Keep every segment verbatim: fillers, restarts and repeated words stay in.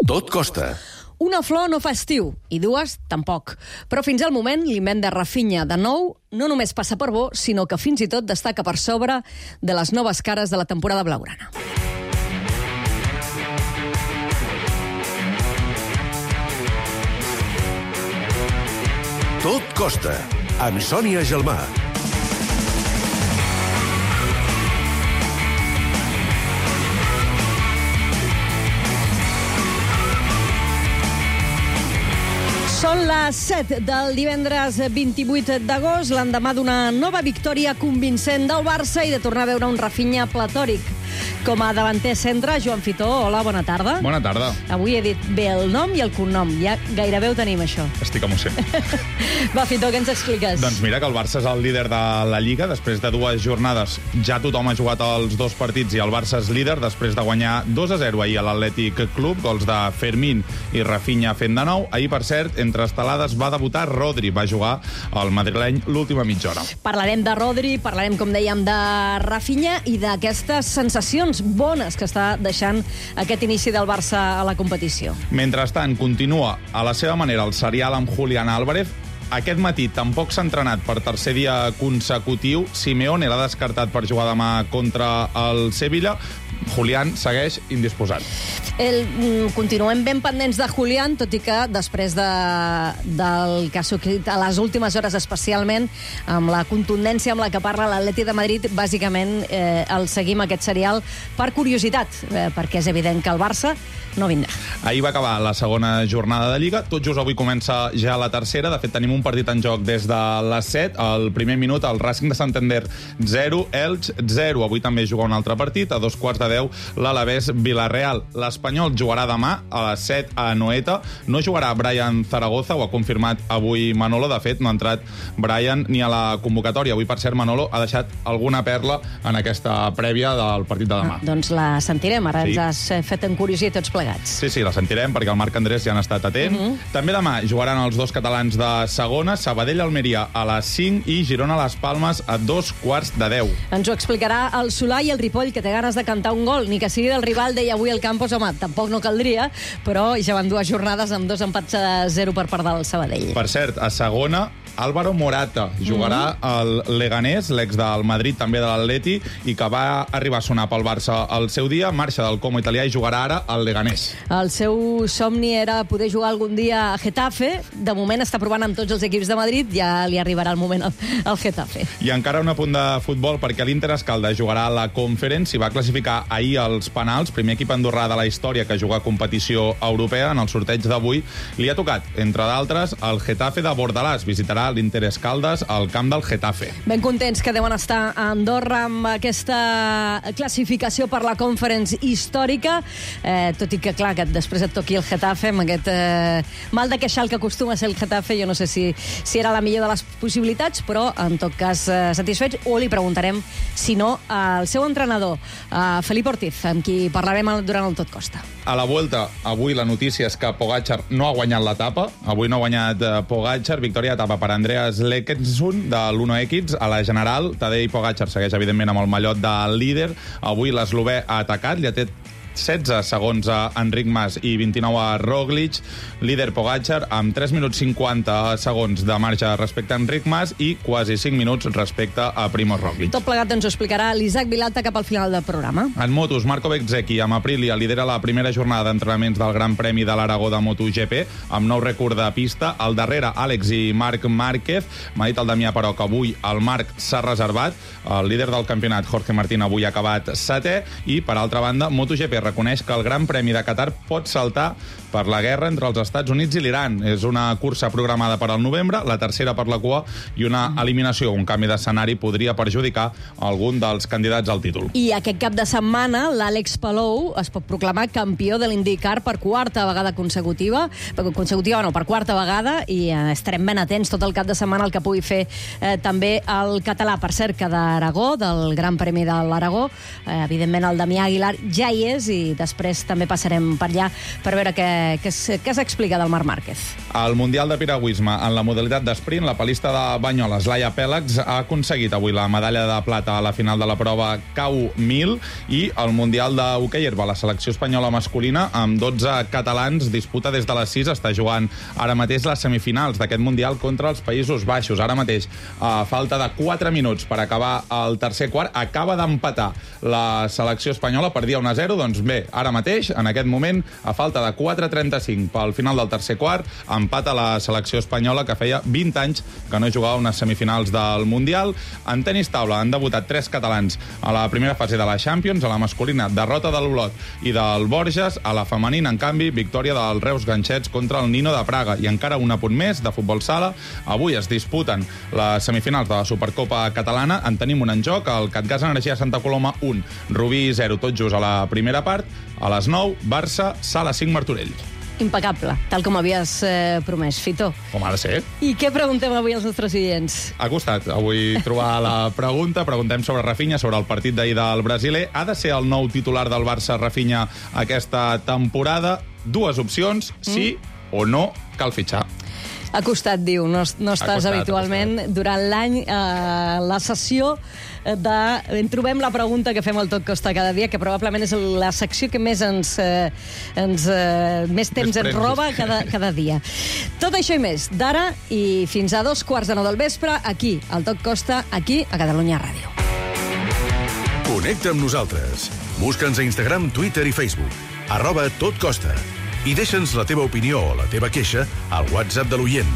Tot costa. Una flor no fa estiu, i dues tampoc. Però fins al moment, l'invent de Rafinha de nou no només passa per bo, sinó que fins i tot destaca per sobre de les noves cares de la temporada blaugrana. Tot costa, amb Sònia Gelmà. Són les set del divendres vint-i-vuit d'agost, l'endemà d'una nova victòria convincent del Barça i de tornar a veure un Rafinha platòric. Com a davanter centre, Joan Fitó, hola, bona tarda. Bona tarda. Avui he dit bé el nom i el cognom, ja gairebé ho tenim, això. Estic emocionat. Va, Fitó, què ens expliques? Doncs mira que el Barça és el líder de la Lliga. Després de dues jornades ja tothom ha jugat els dos partits i el Barça és líder després de guanyar dos a zero ahir a l'Atlètic Club, gols de Fermín i Rafinha fent de nou. Ahir, per cert, entre estelades va debutar Rodri, va jugar al madrileny l'última mitja hora. Parlarem de Rodri, parlarem, com dèiem, de Rafinha i d'aquestes sensacions bones que està deixant aquest inici del Barça a la competició. Mentrestant, continua a la seva manera el serial amb Julián Álvarez. Aquest matí tampoc s'ha entrenat per tercer dia consecutiu. Simeone l'ha descartat per jugar demà contra el Sevilla. Julián segueix indisposat. El, mm, continuem ben pendents de Julián, tot i que després de, del que ha succeït a les últimes hores, especialment amb la contundència amb la que parla l'Atleti de Madrid, bàsicament eh, el seguim aquest serial per curiositat, eh, perquè és evident que el Barça no vindrà. Ahir va acabar la segona jornada de Lliga. Tot just avui comença ja la tercera. De fet, tenim un partit en joc des de les set. Al primer minut, el Racing de Santander zero, Elx zero. Avui també juga un altre partit. A dos quarts de deu, l'Alavés Villarreal. L'Espanyol jugarà demà a les set a Anoeta. No jugarà Brian Zaragoza, ho ha confirmat avui Manolo. De fet, no ha entrat Brian ni a la convocatòria. Avui, per cert, Manolo ha deixat alguna perla en aquesta prèvia del partit de demà. Ah, doncs la sentirem. Ara Sí. ens has fet encuriosir tots plegats. Sí, sí, la sentirem perquè el Marc Andrés ja n'ha estat atent. Uh -huh. També demà jugaran els dos catalans de segona, Sabadell-Almeria a les cinc i Girona-Las Palmes a dos quarts de deu. Ens ho explicarà el Solà i el Ripoll, que té ganes de cantar un gol. Ni que sigui del rival, deia avui el Campos. Home, tampoc no caldria, però ja van dues jornades amb dos empats a zero per part del Sabadell. Per cert, a segona, Álvaro Morata jugarà al Leganés, l'ex del Madrid, també de l'Atleti, i que va arribar a sonar pel Barça al seu dia. Marxa del Como italià i jugarà ara al Leganés. El seu somni era poder jugar algun dia a Getafe. De moment està provant amb tots els equips de Madrid. Ja li arribarà el moment al, al Getafe. I encara un apunt de futbol, perquè l'Inter Escalda jugarà a la Conference i va classificar ahir als penals. Primer equip andorrà de la història que juga a competició europea. En el sorteig d'avui li ha tocat, entre d'altres, el Getafe de Bordalàs. Visitarà l'Inter Escaldes al camp del Getafe. Ben contents que deuen estar a Andorra amb aquesta classificació per la Conference històrica, eh, tot i que, clar, que després et toqui el Getafe, amb aquest eh, mal de queixal que acostuma a ser el Getafe, jo no sé si, si era la millor de les possibilitats, però, en tot cas, eh, satisfets, o li preguntarem, si no, al seu entrenador, a Felip Ortiz, amb qui parlarem durant el Tot Costa. A la Vuelta, avui la notícia és que Pogačar no ha guanyat l'etapa. Avui no ha guanyat eh, Pogačar. Victòria d'etapa per Andreas Lekensund de l'Uno X. A la general, Tadej Pogačar segueix, evidentment, amb el mallot de líder. Avui l'eslovè ha atacat, li ha tret setze segons a Enric Mas i vint-i-nou a Roglic. Líder Pogačar amb tres minuts cinquanta segons de marge respecte a Enric Mas i quasi cinc minuts respecte a Primož Roglic. Tot plegat ens ho explicarà l'Isaac Vilalta cap al final del programa. En motos, Marco Bezzecchi amb Aprilia lidera la primera jornada d'entrenaments del Gran Premi de l'Aragó de MotoGP amb nou rècord de pista. Al darrere, Àlex i Marc Márquez. M'ha dit el Damià, però, que avui el Marc s'ha reservat. El líder del campionat, Jorge Martín, avui ha acabat setè. I, per altra banda, MotoGP reconeix que el Gran Premi de Qatar pot saltar per la guerra entre els Estats Units i l'Iran. És una cursa programada per al novembre, la tercera per la cua, i una eliminació, un canvi d'escenari, podria perjudicar algun dels candidats al títol. I aquest cap de setmana, l'Àlex Palou es pot proclamar campió de l'IndyCar per quarta vegada consecutiva, consecutiva no, per quarta vegada, i eh, estarem ben atents tot el cap de setmana el que pugui fer eh, també el català. Per cert, que d'Aragó, del Gran Premi de l'Aragó, eh, evidentment el Damià Aguilar ja hi és, i després també passarem per allà per veure què Eh, què, es, què s'explica del Marc Márquez? Al Mundial de Piragüisme, en la modalitat d'esprint, la palista de Banyoles, Laia Pèlegs, ha aconseguit avui la medalla de plata a la final de la prova K U mil, i al Mundial d'hoquei herba, la selecció espanyola masculina, amb dotze catalans, disputa des de les sis, està jugant ara mateix les semifinals d'aquest Mundial contra els Països Baixos. Ara mateix, a falta de quatre minuts per acabar el tercer quart, acaba d'empatar la selecció espanyola, perdia un a zero, doncs bé, ara mateix, en aquest moment, a falta de quatre trenta-cinc pel final del tercer quart, empata la selecció espanyola, que feia vint anys que no jugava unes semifinals del Mundial. En tenis taula han debutat tres catalans a la primera fase de la Champions, a la masculina, derrota de l'Olot i del Borges, a la femenina, en canvi, victòria del Reus Ganxets contra el Nino de Praga. I encara un apunt més de futbol sala. Avui es disputen les semifinals de la Supercopa catalana. En tenim un en joc, el Catgas Energia Santa Coloma un, Rubí zero, tot just a la primera part. A les nou, Barça, Sala cinc, Martorell. Impecable, tal com havies eh, promès, Fito. Com ha de ser. I què preguntem avui als nostres oients? Ha costat avui trobar la pregunta. Preguntem sobre Rafinha, sobre el partit d'ahir del brasiler. Ha de ser el nou titular del Barça, Rafinha, aquesta temporada? Dues opcions, sí mm. o no, cal fitxar. Ha costat, diu, no, no estàs costat, habitualment durant l'any a la sessió de... En trobem la pregunta que fem al Tot Costa cada dia, que probablement és la secció que més ens... Eh, ens eh, més temps més ens roba cada, cada dia. Tot això i més, d'ara i fins a dos quarts de nou del vespre, aquí, al Tot Costa, aquí, a Catalunya Ràdio. Connecta amb nosaltres. Busca'ns a Instagram, Twitter i Facebook. Arroba Tot Costa. I deixa'ns la teva opinió o la teva queixa al WhatsApp de l'oient.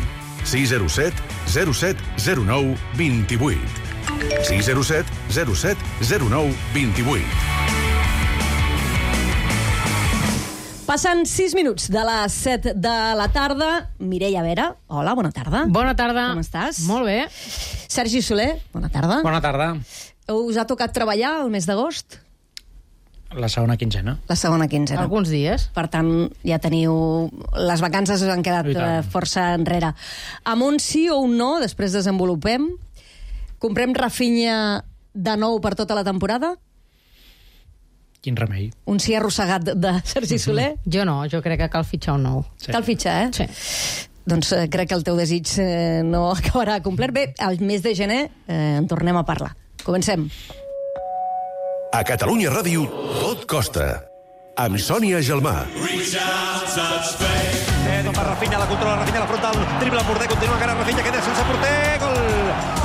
sis zero set zero set zero nou dos vuit. sis zero set zero set zero nou dos vuit. Passen sis minuts de les set de la tarda. Mireia Vera, hola, bona tarda. Bona tarda. Com estàs? Molt bé. Sergi Soler, bona tarda. Bona tarda. Us ha tocat treballar el mes d'agost? La segona quinzena. La segona quinzena. Alguns dies. Per tant, ja teniu... Les vacances us han quedat eh, força enrere. Amb un sí o un no, després desenvolupem. Comprem Rafinha de nou per tota la temporada? Quin remei. Un sí arrossegat de Sergi Soler? Mm-hmm. Jo no, jo crec que cal fitxar un nou. Sí. Cal fitxar, eh? Sí. Doncs eh, crec que el teu desig eh, no acabarà complet. Bé, al mes de gener eh, en tornem a parlar. Comencem. A Catalunya Ràdio, Tot Costa. Amb Sònia Gelmà. Eh, no fa Rafinha, la controla, Rafinha, la frontal, dribla Porter, continua encara Rafinha, queda sense porter, gol!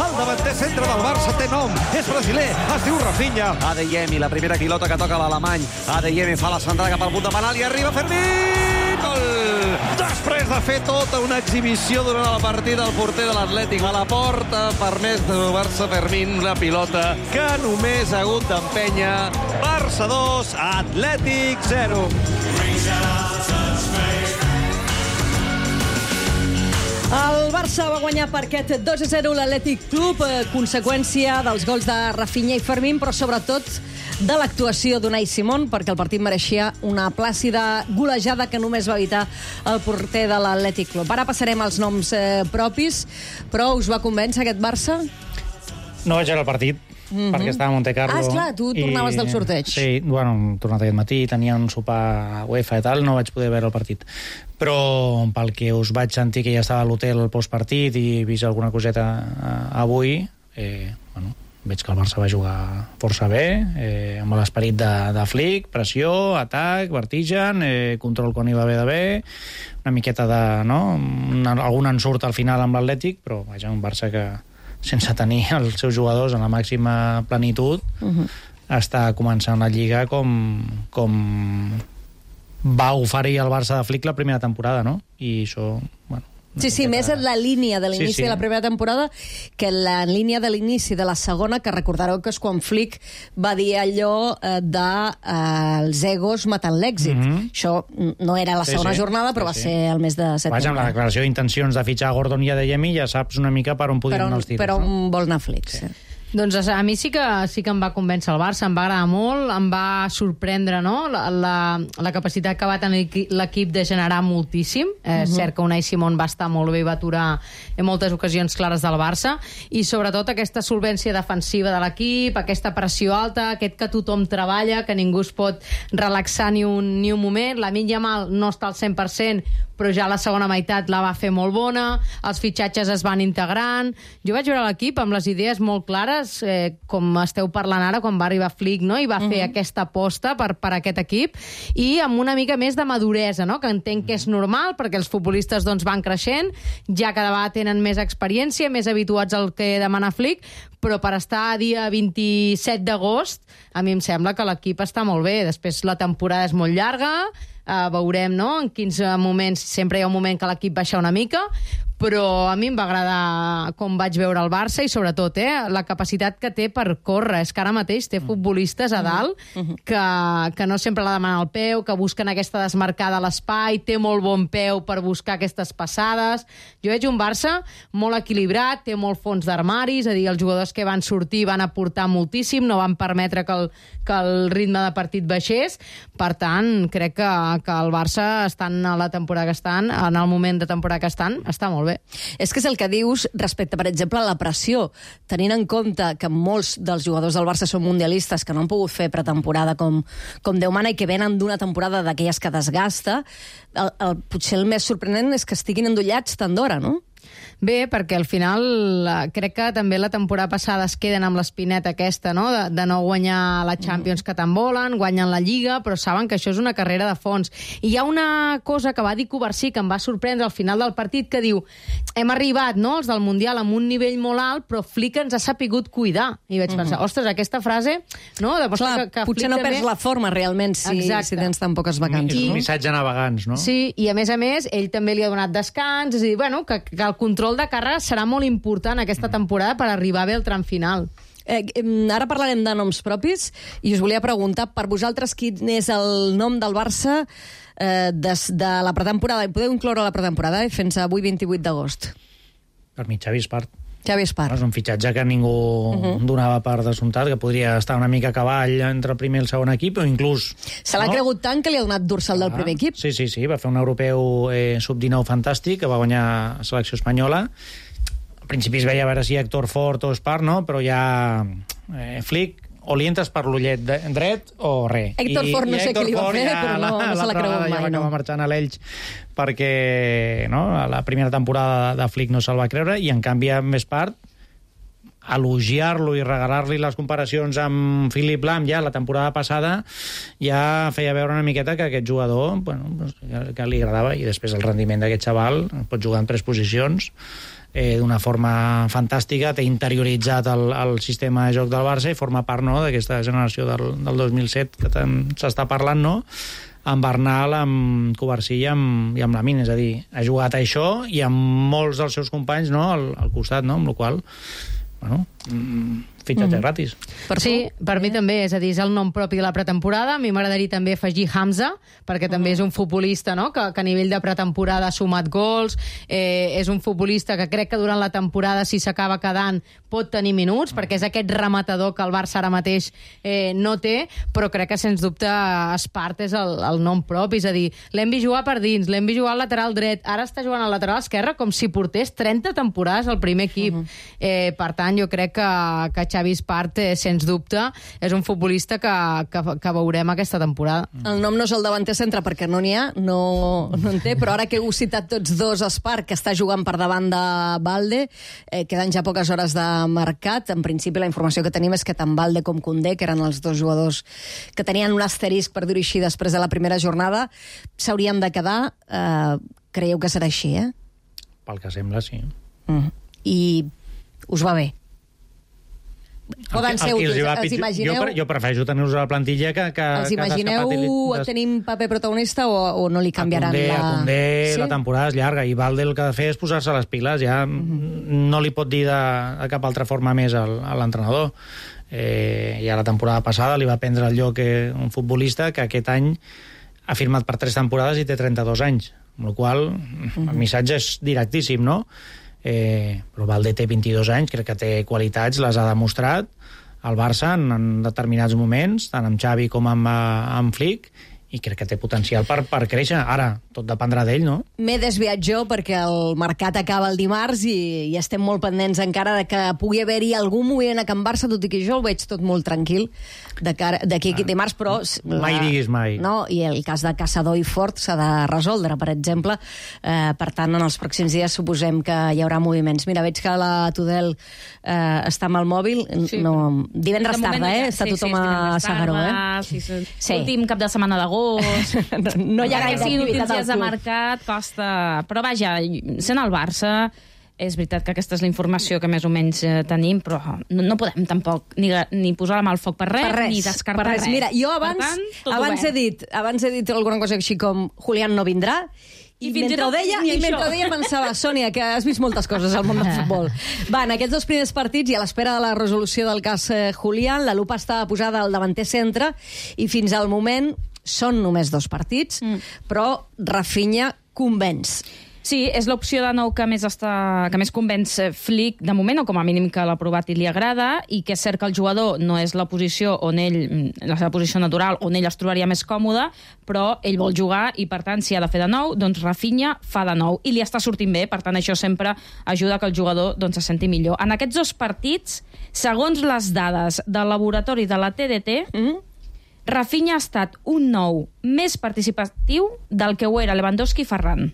El davanter centre del Barça té nom, és brasiler, es diu Rafinha. Adeyemi, la primera pilota que toca l'alemany. Adeyemi fa la centrada cap al punt de penal i arriba Fermín! Gol! Després de fer tota una exhibició durant la partida, el porter de l'Atlètic a la porta, permès de Barça Fermín, una pilota que només ha hagut d'empènyer. Barça dos, Atlètic zero. El Barça va guanyar per aquest dos a zero l'Atlètic Club, eh, conseqüència dels gols de Rafinha i Fermín, però sobretot de l'actuació d'Unai Simón, perquè el partit mereixia una plàcida golejada que només va evitar el porter de l'Atlètic Club. Ara passarem als noms eh, propis, però us va convèncer aquest Barça? No vaig veure el partit, mm-hmm. perquè estava a Monte Carlo. Ah, esclar, tu tornaves i... del sorteig. Sí, bueno, hem tornat aquest matí, tenia un sopar UEFA i tal, no vaig poder veure el partit. Però pel que us vaig sentir que ja estava a l'hotel postpartit i he vist alguna coseta eh, avui, eh, bueno, veig que el Barça va jugar força bé, eh, amb l'esperit de, de Flick, pressió, atac, vertigen, eh, control quan hi va haver d'haver, una miqueta de... No? Una, algun ensurt al final amb l'Atlètic, però vaja, un Barça que sense tenir els seus jugadors en la màxima plenitud, uh-huh. està començant la Lliga com, com va oferir el Barça de Flick la primera temporada, no? I això, bueno... Sí, sí, més en la línia de l'inici sí, sí. de la primera temporada que en la línia de l'inici de la segona, que recordareu que és quan Flick va dir allò eh, de eh, els egos matant l'èxit. Mm-hmm. Això no era la segona sí, sí. jornada, però sí, va sí. ser el mes de setembre. Vaja, amb la declaració d'intencions de fitxar Gordon i Adeyemi ja saps una mica per on podien anar els tiros. Per on no? vol anar Flick, sí. sí. Doncs a mi sí que sí que em va convèncer el Barça, em va agradar molt, em va sorprendre, no?, la, la, la capacitat que va tenir l'equip de generar moltíssim. Eh, és uh -huh. cert que Unai Simón va estar molt bé i va aturar en moltes ocasions clares del Barça, i sobretot aquesta solvència defensiva de l'equip, aquesta pressió alta, aquest que tothom treballa, que ningú es pot relaxar ni un, ni un moment. Lamine Yamal no està al cent per cent, però ja la segona meitat la va fer molt bona, els fitxatges es van integrant. Jo vaig veure l'equip amb les idees molt clares, eh, com esteu parlant ara, quan va arribar Flick, no?, i va uh-huh. fer aquesta aposta per, per aquest equip, i amb una mica més de maduresa, no?, que entenc que és normal, perquè els futbolistes doncs, van creixent, ja cada vegada tenen més experiència, més habituats al que demana Flick, però per estar a dia vint-i-set d'agost, a mi em sembla que l'equip està molt bé. Després la temporada és molt llarga, Uh, veurem, no?, en quins moments, sempre hi ha un moment que l'equip baixa una mica, però a mi em va agradar com vaig veure el Barça, i sobretot eh, la capacitat que té per córrer. És que ara mateix té futbolistes a dalt que, que no sempre la demanen al peu, que busquen aquesta desmarcada a l'espai, té molt bon peu per buscar aquestes passades. Jo veig un Barça molt equilibrat, té molt fons d'armari, és a dir, els jugadors que van sortir van aportar moltíssim, no van permetre que el, que el ritme de partit baixés. Per tant, crec que, que el Barça, estan a la temporada que estan, en el moment de temporada que estan, està molt bé. És que és el que dius respecte, per exemple, a la pressió. Tenint en compte que molts dels jugadors del Barça són mundialistes, que no han pogut fer pretemporada com, com Déu mana, i que venen d'una temporada d'aquelles que desgasta, el, el, potser el més sorprenent és que estiguin endollats tant d'hora, no? Bé, perquè al final crec que també la temporada passada es queden amb l'espineta aquesta, no?, de, de no guanyar la Champions que tant volen, guanyen la Lliga, però saben que això és una carrera de fons. I hi ha una cosa que va dir Covarsí que em va sorprendre al final del partit, que diu, hem arribat, no?, els del Mundial amb un nivell molt alt, però Flick ens ha sapigut cuidar. I vaig pensar, ostres, aquesta frase, no?, Clar, que, que potser no perds també... la forma realment si, si tens tan poques vacances. És un missatge a navegants, no? Sí, i a més a més, ell també li ha donat descans, és a dir, bueno, que, que el control de càrrega serà molt important aquesta temporada per arribar bé al tram final. Eh, ara parlarem de noms propis i us volia preguntar, per vosaltres, quin és el nom del Barça eh, des de la pretemporada? Podeu incloure la pretemporada eh, fins avui vint-i-vuit d'agost. Per mi, Xavi Espart. Xavi Espart. És un fitxatge que ningú uh-huh. donava per descomptat, que podria estar una mica a cavall entre el primer i el segon equip, o inclús... Se l'ha no? cregut tant que li ha donat dorsal ah, del primer equip. Sí, sí, sí, va fer un europeu eh, sub dinou fantàstic, que va guanyar la selecció espanyola. Al principi es veia a veure si Héctor Fort o Espart, no? Però ja eh, Flick o li entres per l'ullet dret o res. Héctor Fort no sé què li va fer, ja, però no, la, no se l'ha cregut mai. Ja va no. acabar marxant a l'Elx perquè no, la primera temporada de Flick no se'l va creure, i en canvi amb Espart elogiar-lo i regalar-li les comparacions amb Philipp Lahm ja la temporada passada ja feia veure una miqueta que aquest jugador bueno, que li agradava, i després el rendiment d'aquest xaval, pot jugar en tres posicions eh, d'una forma fantàstica, té interioritzat el, el sistema de joc del Barça i forma part no, d'aquesta generació del, del dos mil set que tant s'està parlant, no? Amb Bernal, amb Covarsí i amb, i amb Lamine, és a dir, ha jugat a això i amb molts dels seus companys no, al, al costat, no? Amb la qual bueno, fitxatge mm. gratis. Per sí, tu? Per mi també, és a dir, és el nom propi de la pretemporada. A mi m'agradaria també afegir Hamza, perquè també és un futbolista no? que, que a nivell de pretemporada ha sumat gols, eh, és un futbolista que crec que durant la temporada, si s'acaba quedant, pot tenir minuts, perquè és aquest rematador que el Barça ara mateix eh, no té, però crec que, sens dubte, Espart és el, el nom propi, és a dir, l'hem vist jugar per dins, l'hem vist jugar al lateral dret, ara està jugant al lateral esquerre com si portés trenta temporades al primer equip. Uh -huh. eh, per tant, jo crec que, que Xavi Espart, eh, sens dubte, és un futbolista que, que, que veurem aquesta temporada. El nom no és el davanter centre perquè no n'hi ha, no, no en té, però ara que heu citat tots dos, Espart, que està jugant per davant de Balde, eh, queden ja poques hores de mercat. En principi, la informació que tenim és que tant Balde com Koundé, que eren els dos jugadors que tenien un asterisc, per dir-ho així, després de la primera jornada, s'haurien de quedar. Eh, creieu que serà així, eh? Pel que sembla, sí. Mm. I us va bé? Poden ser útils, els imagineu... Jo, jo prefereixo tenir-los a la plantilla que... que els imagineu que tenim paper protagonista o, o no li canviaran Koundé, la... A Koundé sí? La temporada és llarga i Balde el que ha de fer és posar-se les piles, ja mm-hmm. no li pot dir de, de cap altra forma més al, a l'entrenador. Eh, ja la temporada passada li va prendre el lloc eh, un futbolista que aquest any ha firmat per tres temporades i té trenta-dos anys, amb la qual cosa mm-hmm. el missatge és directíssim, no? Eh, però Valde té vint-i-dos anys, crec que té qualitats, les ha demostrat al Barça en, en determinats moments, tant amb Xavi com amb, amb Flick, i crec que té potencial per, per créixer. Ara, tot dependrà d'ell, no? M'he desviat jo perquè el mercat acaba el dimarts i, i estem molt pendents encara de que pugui haver-hi algun moviment a Can Barça, tot i que jo el veig tot molt tranquil d'aquí a dimarts, però... Mai la, diguis mai. No, i el cas de Caçador i Fort s'ha de resoldre, per exemple. Eh, per tant, en els pròxims dies suposem que hi haurà moviments. Mira, veig que la Tudel eh, està amb el mòbil. Sí. No, divendres tarda, eh? Està sí, tothom sí, a Sagaró, eh? Sí, sí. Sí. Últim cap de setmana d'agost. no, no hi ha gaire activitat al club. De mercat costa... Però vaja, sent el Barça, és veritat que aquesta és la informació que més o menys eh, tenim, però no, no podem tampoc ni, ni posar la mà al foc per res, per res ni descartar per res. res. Mira, jo abans, tant, abans, he dit, abans he dit alguna cosa així com Julián no vindrà, I, I mentre ho deia, i mentre ho deia pensava, Sònia, que has vist moltes coses al món del futbol. Va, en aquests dos primers partits, i a l'espera de la resolució del cas eh, Julián, la lupa estava posada al davanter centre, i fins al moment són només dos partits, mm. però Rafinha convenç. Sí, és l'opció de nou que més, està, que més convenç Flick de moment, o com a mínim que l'ha provat i li agrada, i que és cert que el jugador no és la posició on ell, la seva posició natural, on ell es trobaria més còmode, però ell vol jugar i, per tant, si ha de fer de nou, doncs Rafinha fa de nou. I li està sortint bé, per tant, això sempre ajuda que el jugador doncs, se senti millor. En aquests dos partits, segons les dades del laboratori de la T D T, mm? Rafinha ha estat un nou més participatiu del que ho era Lewandowski i Ferran.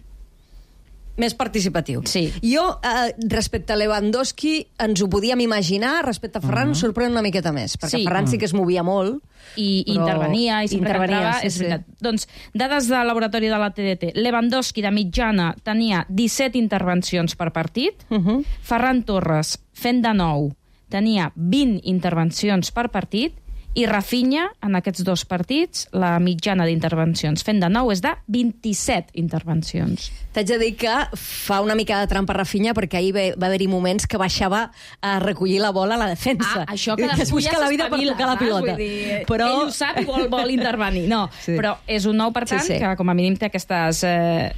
Més participatiu. Sí. Jo, eh, respecte a Lewandowski, ens ho podíem imaginar, respecte a Ferran, uh -huh. sorprèn una miqueta més, perquè sí. Ferran sí que es movia molt. I però... intervenia, i sempre intervenia, que entrava, sí, és sí. veritat. Doncs, dades de laboratori de la T D T. Lewandowski, de mitjana, tenia disset intervencions per partit. Uh -huh. Ferran Torres, fent de nou, tenia vint intervencions per partit. I Rafinha, en aquests dos partits, la mitjana d'intervencions fent de nou és de vint-i-set intervencions. T'haig de dir que fa una mica de trampa Rafinha, perquè ahir va haver-hi moments que baixava a recollir la bola a la defensa. Ah, això que després ja la vida per tocar la pilota. Dir, però... Ell ho sap i vol, vol intervenir. No, sí. Però és un nou, per tant, sí, sí. que com a mínim té aquestes eh,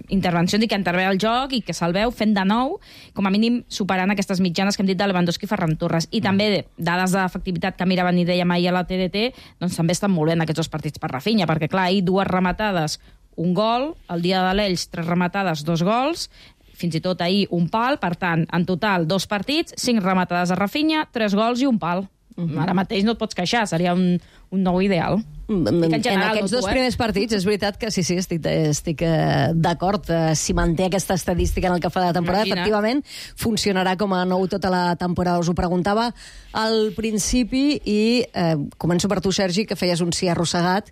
intervencions i que intervé al joc i que se'l veu fent de nou, com a mínim superant aquestes mitjanes que hem dit de Lewandowski i Ferran Torres. I també dades d'efectivitat que miraven i dèiem ahir a la T D T, doncs també estan molt bé en aquests dos partits per Rafinha, perquè clar, ahir dues rematades, un gol, el dia de l'Elx, tres rematades, dos gols, fins i tot ahir un pal, per tant, en total, dos partits, cinc rematades a Rafinha, tres gols i un pal. Uh-huh. Ara mateix no et pots queixar, seria un, un nou ideal. En, en, en aquests dos primers partits és veritat que sí, sí, estic, estic eh, d'acord. Eh, si manté aquesta estadística en el que fa de temporada, Imagina. efectivament, funcionarà com a nou tota la temporada. Us ho preguntava al principi i eh, començo per tu, Sergi, que feies un sí arrossegat.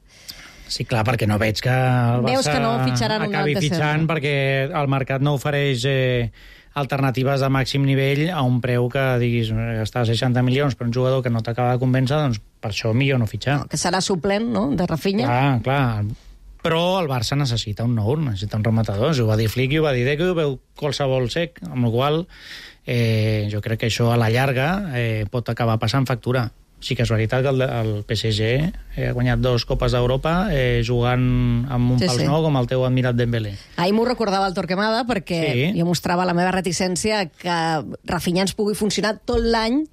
Sí, clar, perquè no veig que el Barça Veus que no fitxaran acabi fitxant, perquè el mercat no ofereix eh, alternatives de màxim nivell a un preu que diguis gastar seixanta milions per un jugador que no t'acaba de convèncer, doncs per això millor no fitxar. No, que serà suplent, no?, de Rafinha. Clar, clar. Però el Barça necessita un nou, necessita un rematador. Ho va dir Flick i ho va dir Deco, ho veu qualsevol sec, amb la qual eh, jo crec que això a la llarga eh, pot acabar passant factura. Sí que és veritat que el, el P S G ha guanyat dos Copes d'Europa eh, jugant amb un sí, pals sí. nou com el teu admirat Dembélé. Ahir m'ho recordava el Torquemada perquè sí. jo mostrava la meva reticència que Rafinha ens pugui funcionar tot l'any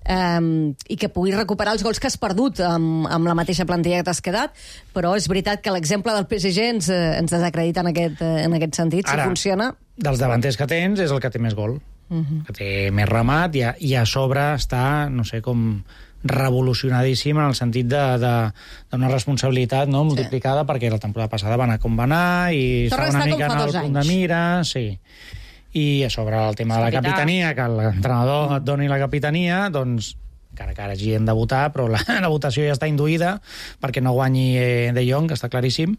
Um, i que pugui recuperar els gols que has perdut amb, amb la mateixa plantilla que t'has quedat, però és veritat que l'exemple del P S G ens, ens desacredita en aquest, en aquest sentit. Ara, si funciona... dels davanters que tens és el que té més gol, uh-huh. que té més remat, i a, i a sobre està, no sé, com revolucionadíssim en el sentit d'una responsabilitat no, multiplicada, sí. perquè la temporada passada va anar com va anar i estava una mica en el punt de mira, sí. I a sobre el tema de la capitania, que l'entrenador et doni la capitania, doncs encara que ara hagin de votar, però la, la votació ja està induïda perquè no guanyi eh, De Jong, que està claríssim.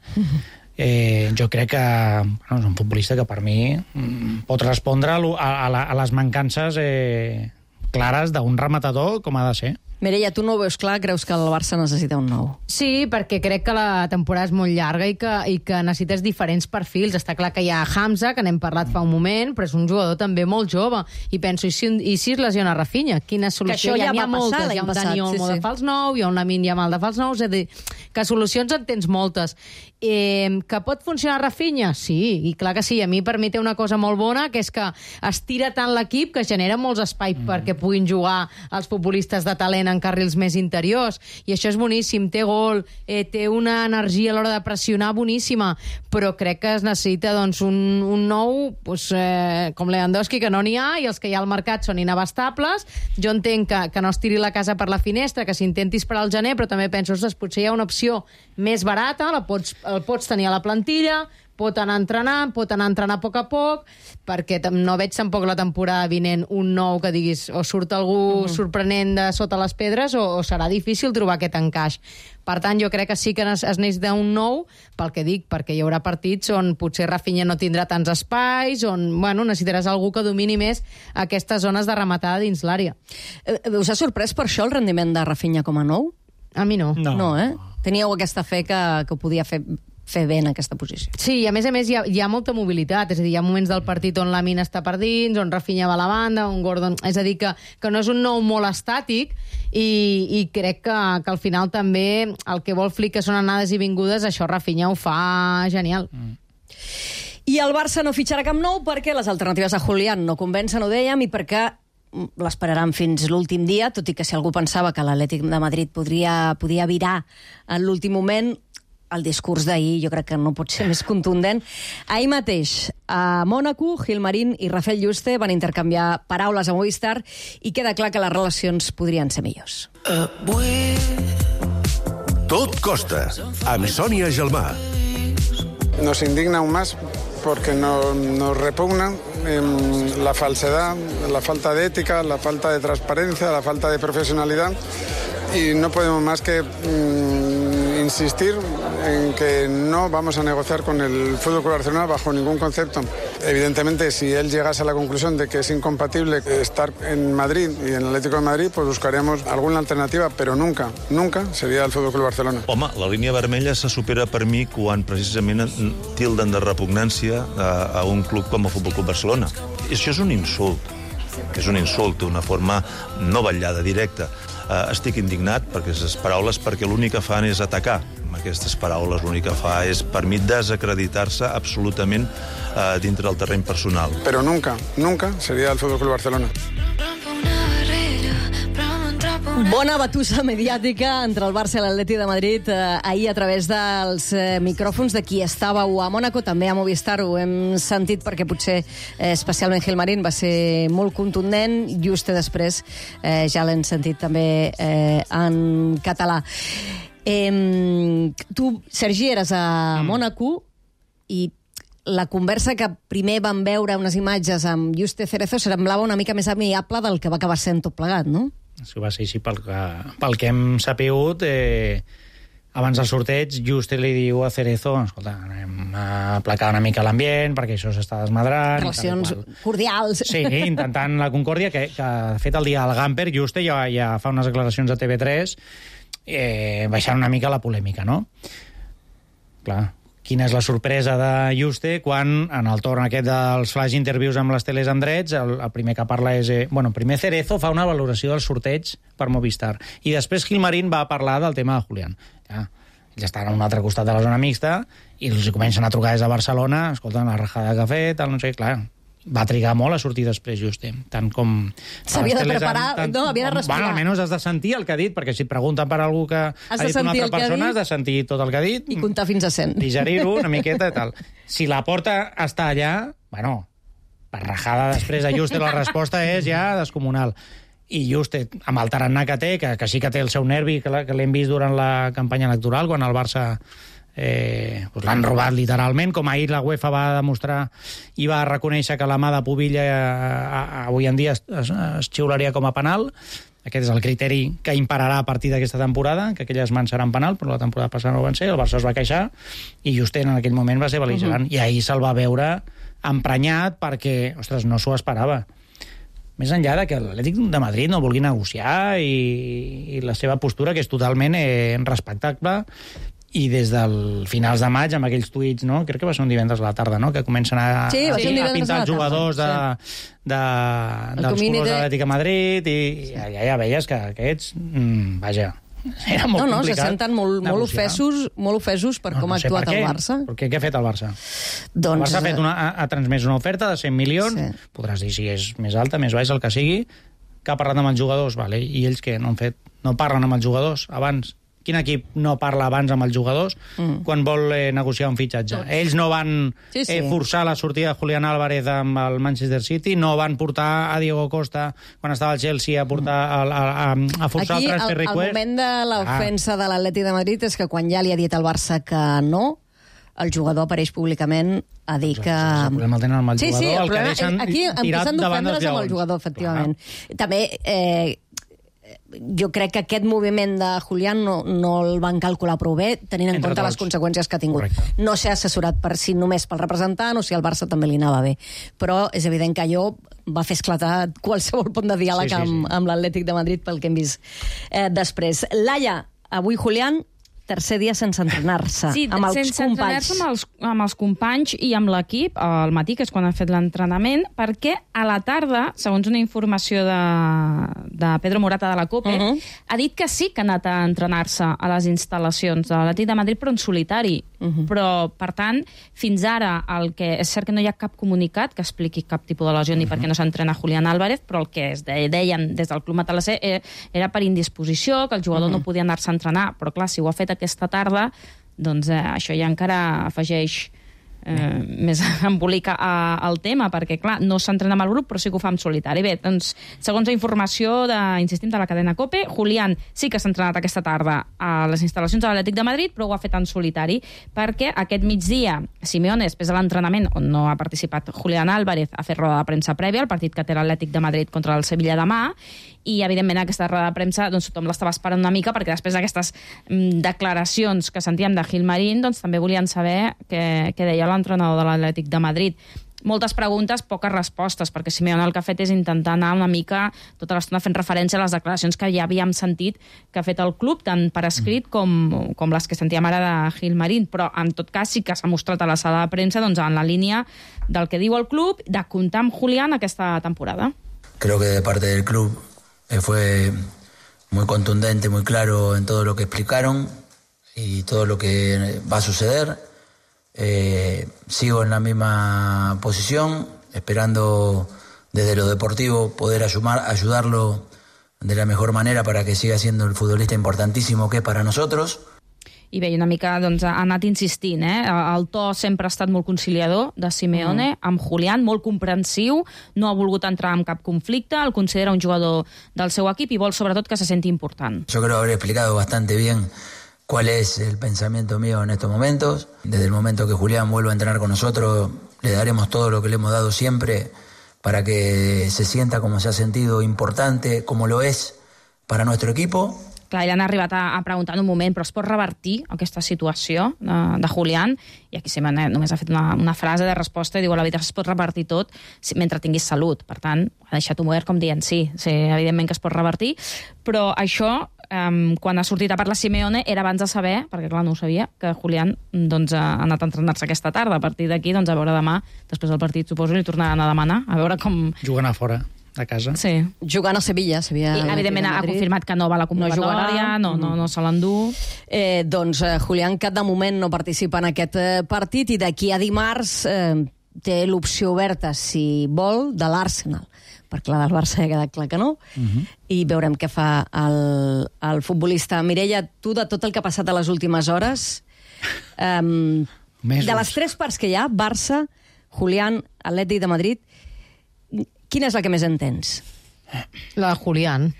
Eh, jo crec que bueno, és un futbolista que per mi mm, pot respondre a, a, a les mancances eh, clares d'un rematador com ha de ser. Mireia, tu no ho veus clar, creus que el Barça necessita un nou? Sí, perquè crec que la temporada és molt llarga i que, i que necessites diferents perfils. Està clar que hi ha Hamza, que n'hem parlat fa un moment, però és un jugador també molt jove. I penso, i si, i si es lesiona Rafinha? Quina solució? Que això ja hi ha va moltes. passar Hi ha un passat, Dani Olmo sí, de sí. fals nou, hi ha un Lamine Yamal de fals nou, és a dir, que solucions en tens moltes. Eh, que pot funcionar Rafinha? Sí, i clar que sí. A mi per mi té una cosa molt bona, que és que estira tant l'equip que genera molts espais mm. perquè puguin jugar els futbolistes de talent en carrils més interiors, i això és boníssim, té gol, eh, té una energia a l'hora de pressionar boníssima, però crec que es necessita doncs, un, un nou, pues, eh, com Lewandowski, que no n'hi ha, i els que hi ha al mercat són inabastables. Jo entenc que, que no es tiri la casa per la finestra, que s'intenti esperar al gener, però també penso, ostres, potser hi ha una opció més barata, la pots, el pots tenir a la plantilla, pot anar entrenant, pot anar entrenant a poc a poc, perquè no veig tampoc la temporada vinent un nou que diguis o surt algú uh-huh. sorprenent de sota les pedres o, o serà difícil trobar aquest encaix. Per tant, jo crec que sí que es necessita un nou, pel que dic, perquè hi haurà partits on potser Rafinha no tindrà tants espais, on bueno, necessitaràs algú que domini més aquestes zones de rematada dins l'àrea. Eh, us ha sorprès per això el rendiment de Rafinha com a nou? A mi no. No, no eh? Teníeu aquesta fe que, que ho podia fer fer bé en aquesta posició. Sí, i a més a més hi ha, hi ha molta mobilitat, és a dir, hi ha moments del partit on Lamine està per dins, on Rafinha va a la banda, on Gordon... És a dir, que, que no és un nou molt estàtic, i, i crec que, que al final també el que vol Flick, que són anades i vingudes, això Rafinha ho fa genial. Mm. I el Barça no fitxarà cap nou perquè les alternatives a Julián no convencen, ho dèiem, i perquè l'esperaran fins l'últim dia, tot i que si algú pensava que l'Atlètic de Madrid podria, podia virar en l'últim moment, el discurs d'ahir jo crec que no pot ser més contundent. Ahir mateix, a Mònaco, Gilmarín i Rafael Yuste van intercanviar paraules a Movistar i queda clar que les relacions podrien ser millors. Avui... Tot costa, amb Sònia Gelmà. Nos indigna aún más porque no, nos repugna eh, la falsedad, la falta de ética, la falta de transparencia, la falta de profesionalidad, y no podemos más que mm, insistir en que no vamos a negociar con el F C Barcelona bajo ningún concepto. Evidentemente, si él llegase a la conclusión de que es incompatible estar en Madrid y en el Atlético de Madrid, pues buscaríamos alguna alternativa, pero nunca, nunca sería el F C Barcelona. Home, la línia vermella se supera per mi quan precisament tilden de repugnància a, a un club com el F C Barcelona. I això és un insult. És un insult, una forma no vetllada, directa. Uh, estic indignat perquè aquestes paraules, perquè l'únic que fan és atacar. Amb aquestes paraules l'únic que fa és, per mi, desacreditar-se absolutament uh, dintre del terreny personal. Però nunca, nunca seria el F C Barcelona. Bona batussa mediàtica entre el Barça i l'Atleti de Madrid eh, ahir a través dels eh, micròfons de qui estàveu a Mònaco, també a Movistar ho hem sentit perquè potser eh, especialment Gilmarín va ser molt contundent, just després eh, ja l'hem sentit també eh, en català. Eh, tu, Sergi, eres a Mònaco i la conversa que primer vam veure unes imatges amb Yuste Cerezo semblava una mica més amigable del que va acabar sent tot plegat, no? Això va ser així pel que, pel que hem sapigut. Eh, abans del sorteig, Juste li diu a Cerezo, escolta, anem a aplacar una mica l'ambient, perquè això s'està desmadrant. Relacions cordials. Sí, intentant la concòrdia, que, que de fet el dia del Gamper, Juste ja, ja fa unes declaracions a T V tres eh, baixant una mica la polèmica, no? Clar, quina és la sorpresa de Juste quan, en el torn aquest dels flash interviews amb les teles en drets, el, el primer que parla és... Eh, bueno, primer Cerezo fa una valoració del sorteig per Movistar, i després Gilmarín va parlar del tema de Julián. Ja, ells estan a un altre costat de la zona mixta i els comencen a trucar des de Barcelona, escolten la rajada que ha fet, tal, no sé, clar... Va trigar molt a sortir després, Juste, tant com... S'havia de preparar, tant, no, havia de respirar. Bueno, almenys has de sentir el que ha dit, perquè si et pregunten per algú que has ha dit una altra persona, has de sentir tot el que ha dit. I comptar fins a cent. Digerir-ho una miqueta i tal. Si la porta està allà, bueno, per rajada després a Juste la resposta és ja descomunal. I Juste, amb el tarannà que té, que, que sí que té el seu nervi, que, la, que l'hem vist durant la campanya electoral, quan el Barça... Eh, doncs l'han robat literalment, com ahir la UEFA va demostrar i va reconèixer que la mà de Pubilla eh, eh, avui en dia es, es, es xiularia com a penal. Aquest és el criteri que impararà a partir d'aquesta temporada, que aquelles mans seran penal, però la temporada passada no ho van ser, el Barça es va queixar i Juste en aquell moment va ser bel·ligerant. Uh-huh. I ahir se'l va veure emprenyat perquè, ostres, no s'ho esperava. més enllà de que l'Atlètic de Madrid no vulgui negociar i, i la seva postura, que és totalment eh, respectable, i des del finals de maig, amb aquells tuits, no? Crec que va ser un divendres a la tarda, no? Que comencen a, sí, a, a, a pintar els jugadors de, de, dels colors de l'Atlètic de Madrid, i, i allà ja veies que aquests, mmm, vaja, era molt no, no, complicat. Se senten molt, molt, ofesos, molt ofesos per no, com no ha actuat el Barça. Per què? Què ha fet el Barça? Doncs... El Barça ha, fet una, ha, ha transmès una oferta de cent milions, sí. Podràs dir si és més alta, més baixa, el que sigui, que ha parlat amb els jugadors, vale? I ells què? No han fet? No parlen amb els jugadors abans? Quin equip no parla abans amb els jugadors mm. quan vol eh, negociar un fitxatge? Tots. Ells no van sí, sí. Eh, forçar la sortida de Julián Álvarez amb el Manchester City, no van portar a Diego Costa quan estava al Chelsea a portar a, a, a, a forçar aquí, el transfer request. Aquí el moment de l'ofensa ah. de l'Atlètic de Madrid és que quan ja li ha dit al Barça que no, el jugador apareix públicament a dir que... El problema el tenen amb el sí, jugador, sí, el, el que deixen aquí tirat davant dels lleons. Amb el jugador, efectivament. Clar. També... Eh, jo crec que aquest moviment de Julián no, no el van calcular prou bé, tenint en Entre compte tots. Les conseqüències que ha tingut. Correcte. No s'ha assessorat per si només pel representant o si al Barça també li anava bé. Però és evident que allò va fer esclatar qualsevol punt de diàleg sí, sí, sí. amb, amb l'Atlètic de Madrid pel que hem vist eh, després. Laia, avui Julián, tercer dia sense entrenar-se, sí, amb els sense companys. Amb els, amb els companys i amb l'equip, al matí, que és quan ha fet l'entrenament, perquè a la tarda, segons una informació de, de Pedro Morata de la COPE, uh -huh. ha dit que sí que ha anat a entrenar-se a les instal·lacions de l'Atlètic de Madrid, però en solitari. Uh -huh. Però, per tant, fins ara, el que és cert que no hi ha cap comunicat que expliqui cap tipus de lesió ni uh -huh. perquè no s'entrena Julián Álvarez, però el que es deien des del Club Matalassé era per indisposició, que el jugador uh -huh. no podia anar-se a entrenar, però clar, si ho ha fet aquesta tarda, doncs eh, això ja encara afegeix eh, més embolica al tema, perquè clar, no s'entrena amb el grup, però sí que ho fa en solitari. Bé, doncs, segons la informació de, insistim, de la cadena COPE, Julián sí que s'ha entrenat aquesta tarda a les instal·lacions de l'Atlètic de Madrid, però ho ha fet en solitari, perquè aquest migdia Simeone, després de l'entrenament, on no ha participat Julián Álvarez, ha fet roda de premsa prèvia al partit que té l'Atlètic de Madrid contra el Sevilla demà, i evidentment aquesta roda de premsa doncs, tothom l'estava esperant una mica, perquè després d'aquestes mm, declaracions que sentíem de Gilmarín, doncs també volien saber què, què deia l'entrenador de l'Atlètic de Madrid. Moltes preguntes, poques respostes, perquè Simeone el que ha fet és intentar anar una mica tota l'estona fent referència a les declaracions que ja havíem sentit que ha fet el club, tant per escrit com, com les que sentíem ara de Gilmarín, però en tot cas sí que s'ha mostrat a la sala de premsa doncs, en la línia del que diu el club de comptar amb Julián aquesta temporada. Creo que de parte del club eh, fue muy contundente, muy claro en todo lo que explicaron y todo lo que va a suceder. Eh, sigo en la misma posición, esperando desde lo deportivo poder ayudar, ayudarlo de la mejor manera para que siga siendo el futbolista importantísimo que es para nosotros. I bé, una mica doncs, ha anat insistint, eh? El to sempre ha estat molt conciliador de Simeone, mm. amb Julián, molt comprensiu, no ha volgut entrar en cap conflicte, el considera un jugador del seu equip i vol sobretot que se senti important. Yo creo haber explicado bastante bien cuál es el pensamiento mío en estos momentos. Desde el momento que Julián vuelva a entrenar con nosotros, le daremos todo lo que le hemos dado siempre para que se sienta como se ha sentido importante, como lo es para nuestro equipo. Clar, ja han arribat a, a preguntar en un moment, però es pot revertir aquesta situació de, de Julián? I aquí Simeone només ha fet una, una frase de resposta i diu, la veritat es pot revertir tot si, mentre tinguis salut. Per tant, ha deixat obert com dient sí, sí, evidentment que es pot revertir, però això, um, quan ha sortit a parlar Simeone, era abans de saber, perquè clar, no ho sabia, que Julián doncs, ha anat a entrenar-se aquesta tarda. A partir d'aquí, doncs, a veure demà, després del partit, suposo, li tornaran a demanar, a veure com... Jugant a fora. A casa. Sí. Jugant a Sevilla. Sevilla I, evidentment, ha confirmat que no va a la convocatòria, no, no, no, no se l'endú. Eh, doncs eh, Julián, que de moment no participa en aquest eh, partit, i d'aquí a dimarts eh, té l'opció oberta, si vol, de l'Arsenal. Perquè la del Barça ja ha quedat clar que no. Uh -huh. I veurem què fa el, el futbolista. Mireia, tu, de tot el que ha passat a les últimes hores, eh, de les tres parts que hi ha, Barça, Julián, Atlètic de Madrid, quina és la que més entens? La de Julián.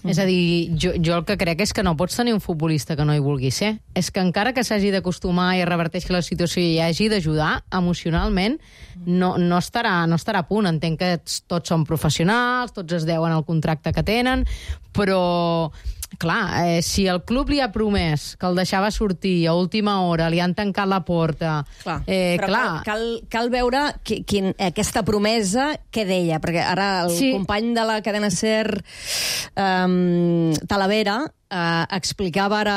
Mm. És a dir, jo, jo el que crec és que no pots tenir un futbolista que no hi vulgui ser. És que encara que s'hagi d'acostumar i es reverteixi la situació i hagi d'ajudar, emocionalment no, no, estarà, no estarà a punt. Entenc que tots són professionals, tots es deuen al contracte que tenen, però clar, eh, si el club li ha promès que el deixava sortir a última hora, li han tancat la porta... Clar, eh, però clar. Cal, cal, cal veure qui, quin, aquesta promesa què deia, perquè ara el Sí. company de la cadena SER, um, Talavera, uh, explicava ara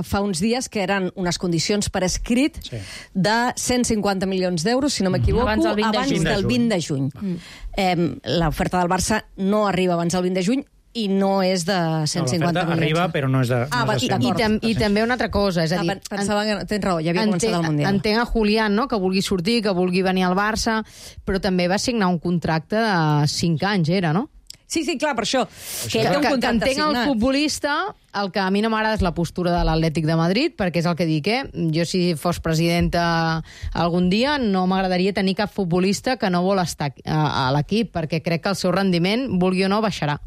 fa uns dies que eren unes condicions per escrit Sí. de cent cinquanta milions d'euros, si no m'equivoco, Abans del vint de abans juny. del vint de juny. Mm. Eh, L'oferta del Barça no arriba abans del vint de juny i no és de cent cinquanta no, milions. arriba, però no és de, Ah, no va, és de i- cent. I, D'acord. tam I també una altra cosa, és a Ah, dir... pen- pensava que... Tens raó, ja havia començat el Mundial. Entenc a Julián, no?, que vulgui sortir, que vulgui venir al Barça, però també va signar un contracte de cinc anys, era, no? Sí, sí, clar, per això. Que Que, ell té un que, que contracte entenc el signat. futbolista, el que a mi no m'agrada és la postura de l'Atlètic de Madrid, perquè és el que dic, eh? Jo, si fos presidenta algun dia, no m'agradaria tenir cap futbolista que no vol estar a, a l'equip, perquè crec que el seu rendiment, vulgui o no, baixarà.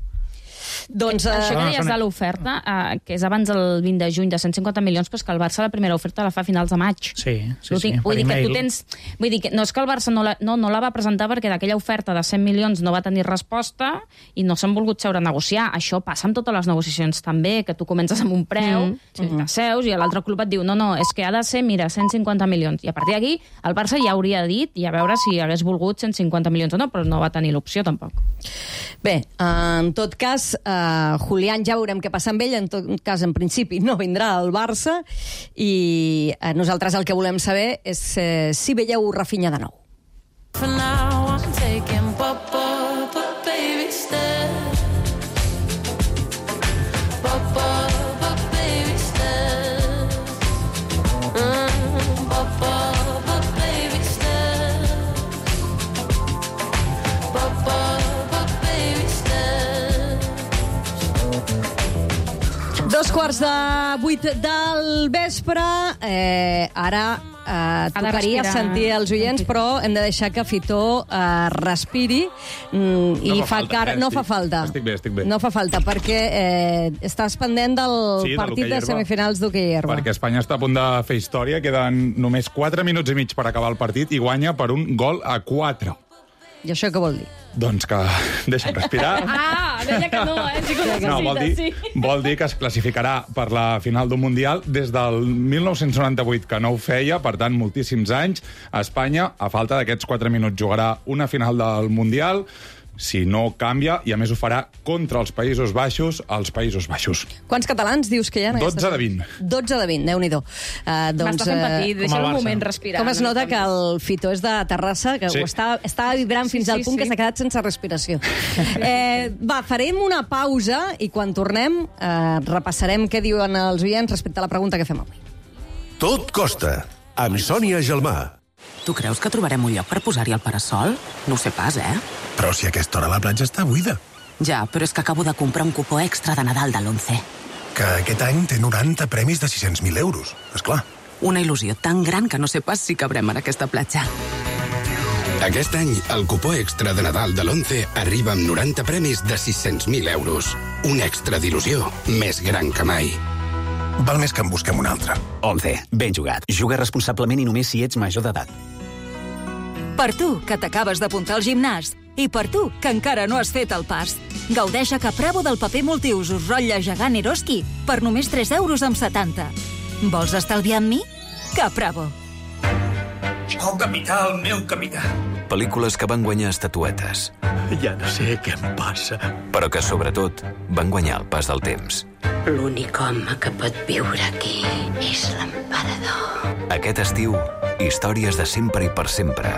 Doncs, Això que eh, no, deies són- de l'oferta, eh, que és abans del vint de juny de cent cinquanta milions, però és que el Barça la primera oferta la fa a finals de maig. Sí, sí, Ho sí, tinc- per vull dir que tu email. tens... Vull dir que no és que el Barça no la, no, no la va presentar perquè d'aquella oferta de cent milions no va tenir resposta i no s'han volgut seure a negociar. Això passa amb totes les negociacions també, que tu comences amb un preu, Mm, sí. t'asseus i l'altre club et diu no, no, és que ha de ser, mira, cent cinquanta milions. I a partir d'aquí el Barça ja hauria dit i a veure si hagués volgut cent cinquanta milions o no, però no va tenir l'opció tampoc. Bé, en tot cas, eh, Julián ja veurem què passa amb ell, en tot cas, en principi, no vindrà al Barça, i eh, nosaltres el que volem saber és eh, si veieu Rafinha de nou. For now I'm taking papa, but baby stay. Papa, but baby stay. Mm, papa, but baby stay. Papa, but baby stay. Dos quarts de vuit del vespre, eh, ara eh, tocaria respirar. sentir els oients, però hem de deixar que Fitó eh, respiri mm, i No fa fa falta, cara... eh, No estic- fa falta. estic bé, estic bé. No fa falta, perquè eh, estàs pendent del Sí, de partit l'hoquei de herba. semifinals d'hoquei herba. Perquè Espanya està a punt de fer història, queden només quatre minuts i mig per acabar el partit i guanya per un gol a quatre. I això què vol dir? Doncs que deixa'm respirar. Ah, deia que no, eh? Sí que No, vol dir, sí. vol dir que es classificarà per la final d'un Mundial des del mil nou-cents noranta-vuit, que no ho feia, per tant, moltíssims anys. Espanya, a falta d'aquests quatre minuts, jugarà una final del Mundial, si no canvia, i a més ho farà contra els Països Baixos, als Països Baixos. Quants catalans dius que hi ha? en dotze aquesta- de vint. dotze de vint, Déu-n'hi-do. Uh, doncs, M'està fent patir, eh, deixa el un Barça. moment respirar. com es nota que el Fitó és de Terrassa, que Sí. ho està, està vibrant Sí, fins sí, al punt sí. que s'ha quedat sense respiració. Eh, va, farem una pausa i quan tornem eh, repassarem què diuen els oients respecte a la pregunta que fem avui. Tot costa, amb Sònia Gelmà. Tu creus que trobarem un lloc per posar-hi el parasol? No ho sé pas, eh? Però si a aquesta hora la platja està buida. Ja, però és que acabo de comprar un cupó extra de Nadal de l'Once. Que aquest any té noranta premis de sis-cents mil euros, és clar. Una il·lusió tan gran que no sé pas si cabrem en aquesta platja. Aquest any, el cupó extra de Nadal de l'Once arriba amb noranta premis de sis-cents mil euros. Un extra d'il·lusió més gran que mai. Val més que en busquem un altre. Once, ben jugat. Juga responsablement i només si ets major d'edat. Per tu, que t'acabes d'apuntar al gimnàs. I per tu, que encara no has fet el pas. Gaudeix a Capravo del paper multiusos rotlle gegant Eroski per només tres euros amb setanta. Vols estalviar amb mi? Capravo. El capità, el meu capità. Pel·lícules que van guanyar estatuetes. Ja no sé què em passa. Però que, sobretot, van guanyar el pas del temps. L'únic home que pot viure aquí és l'emperador. Aquest estiu, històries de sempre i per sempre.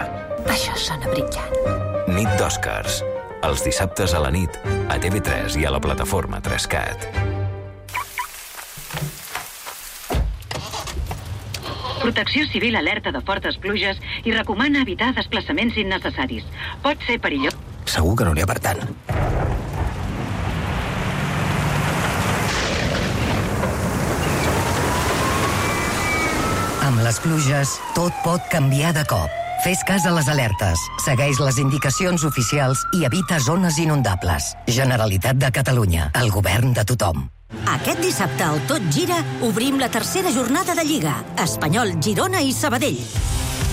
Això sona brillant. Nit d'Oscars. Els dissabtes a la nit, a T V tres i a la plataforma tres cat. Protecció Civil alerta de fortes pluges i recomana evitar desplaçaments innecessaris. Pot ser perillós. Segur que no n'hi ha per tant. Amb les pluges, tot pot canviar de cop. Fes cas a les alertes, segueix les indicacions oficials i evita zones inundables. Generalitat de Catalunya, el govern de tothom. Aquest dissabte al Tot Gira obrim la tercera jornada de Lliga. Espanyol, Girona i Sabadell.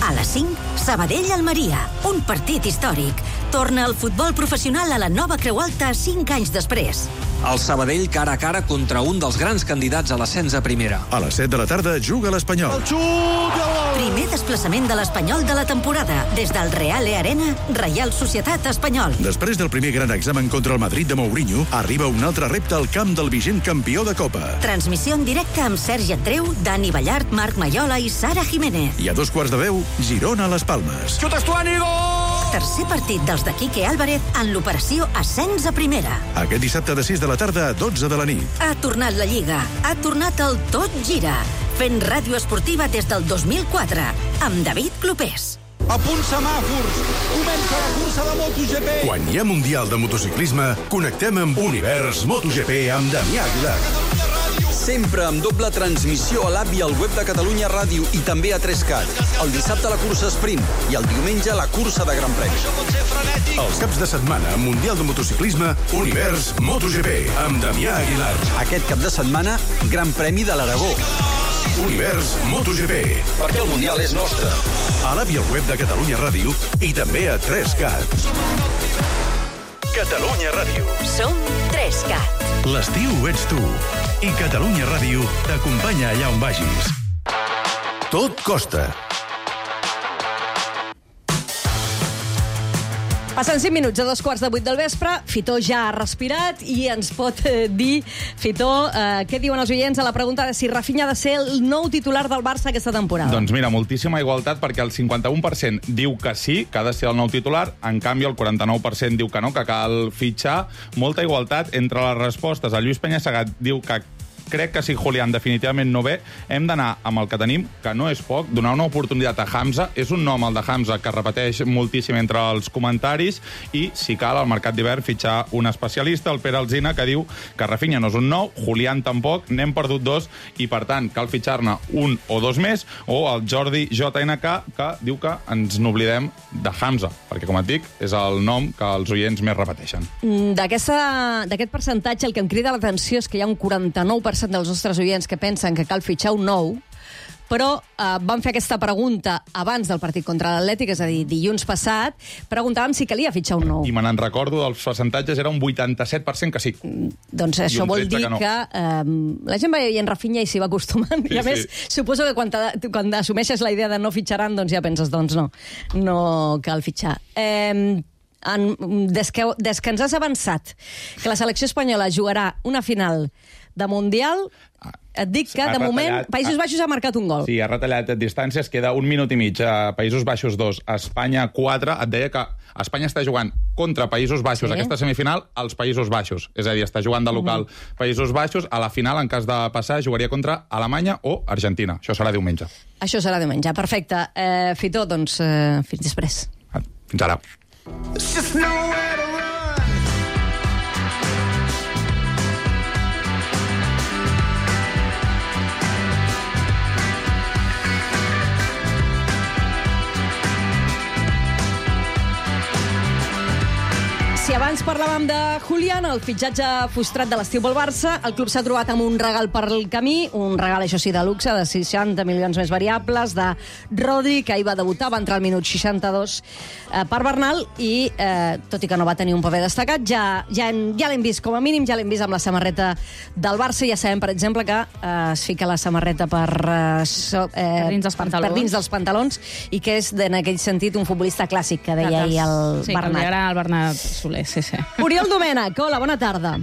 A les cinc, Sabadell-Almeria. Un partit històric. Torna el futbol professional a la nova Creu Alta cinc anys després. El Sabadell cara a cara contra un dels grans candidats a l'ascens a primera. A les set de la tarda juga l'Espanyol. El xut! Primer desplaçament de l'Espanyol de la temporada. Des del Reale Arena, Reial Societat Espanyol. Després del primer gran examen contra el Madrid de Mourinho, arriba un altre repte al camp del vigent campió de Copa. Transmissió en directe amb Sergi Andreu, Dani Ballart, Marc Maiola i Sara Jiménez. I a dos quarts de deu, Girona a les Palmes. Xut Estuani, gol! Tercer partit dels de Quique Álvarez en l'operació Ascens a Primera. Aquest dissabte de sis de la tarda a dotze de la nit. Ha tornat la Lliga. Ha tornat el Tot Gira. Fent ràdio esportiva des del dos mil quatre. Amb David Clopés. A punt semàfors. Comença la cursa de MotoGP. Quan hi ha Mundial de Motociclisme, connectem amb Univers MotoGP amb Damià Aguilar. Sempre amb doble transmissió a l'app i al web de Catalunya Ràdio i també a tres cat. El dissabte la cursa sprint i el diumenge la cursa de Gran Premi. Els caps de setmana, Mundial de Motociclisme, Univers MotoGP amb Damià Aguilar. Aquest cap de setmana, Gran Premi de l'Aragó. Univers MotoGP. Perquè el Mundial és nostre. A l'app i al web de Catalunya Ràdio i també a tres cat. Catalunya Ràdio. Som tres cat. L'estiu ets tu. I Catalunya Ràdio t'acompanya allà on vagis. Tot costa. Passen cinc minuts a dos quarts de vuit del vespre. Fitó ja ha respirat i ens pot eh, dir, Fitó, eh, què diuen els oients a la pregunta de si Rafinha ha de ser el nou titular del Barça aquesta temporada? Doncs mira, moltíssima igualtat, perquè el cinquanta-un per cent diu que sí, que ha de ser el nou titular, en canvi el quaranta-nou per cent diu que no, que cal fitxar. Molta igualtat entre les respostes. El Lluís Peñasegat diu que crec que si Julián definitivament no ve, hem d'anar amb el que tenim, que no és poc, donar una oportunitat a Hamza. És un nom, el de Hamza, que repeteix moltíssim entre els comentaris, i, si cal, al mercat d'hivern fitxar un especialista, el Pere Alsina, que diu que Rafinha no és un nou, Julián tampoc, n'hem perdut dos, i, per tant, cal fitxar-ne un o dos més, o el Jordi J N K, que diu que ens n'oblidem de Hamza, perquè, com et dic, és el nom que els oients més repeteixen. D'aquest percentatge, el que em crida l'atenció és que hi ha un quaranta-nou per cent dels nostres oients que pensen que cal fitxar un nou, però eh, van fer aquesta pregunta abans del partit contra l'Atlètic, és a dir, dilluns passat, preguntàvem si calia fitxar un nou. I me n'en recordo, dels percentatges era un vuitanta-set per cent que sí. Mm, doncs això vol dir que, no. que eh, la gent va veient Rafinha i s'hi va acostumant, sí, i a més, sí. Suposo que quan, quan assumeixes la idea de no fitxaran, doncs ja penses, doncs no, no cal fitxar. Eh, en, des, que, des que ens has avançat que la selecció espanyola jugarà una final de Mundial, et dic que, de moment, Països Baixos ha marcat un gol. Sí, ha retallat distàncies, queda un minut i mig. A Països Baixos dos, Espanya quatre. Et deia que Espanya està jugant contra Països Baixos, sí. Aquesta semifinal, als Països Baixos. És a dir, està jugant de local uh-huh. Països Baixos. A la final, en cas de passar, jugaria contra Alemanya o Argentina. Això serà diumenge. Això serà diumenge, perfecte. Eh, Fitó, doncs, eh, fins després. Fins ara. Si abans parlàvem de Julián, el fitxatge frustrat de l'estiu pel Barça, el club s'ha trobat amb un regal per el camí, un regal, això sí, de luxe, de seixanta milions més variables, de Rodri, que ahir va debutar, va entrar al minut seixanta-dos eh, per Bernal, i eh, tot i que no va tenir un paper destacat, ja, ja, ja l'hem vist, com a mínim, ja l'hem vist amb la samarreta del Barça. Ja sabem, per exemple, que eh, es fica la samarreta per, eh, so, eh, per, dins dels pantalons. per dins dels pantalons, i que és, en aquell sentit, un futbolista clàssic, que deia ahir el sí, Bernat. Sí, que li agrada el Bernat Soler. Sí, sí. Oriol Domènech, hola, bona tarda.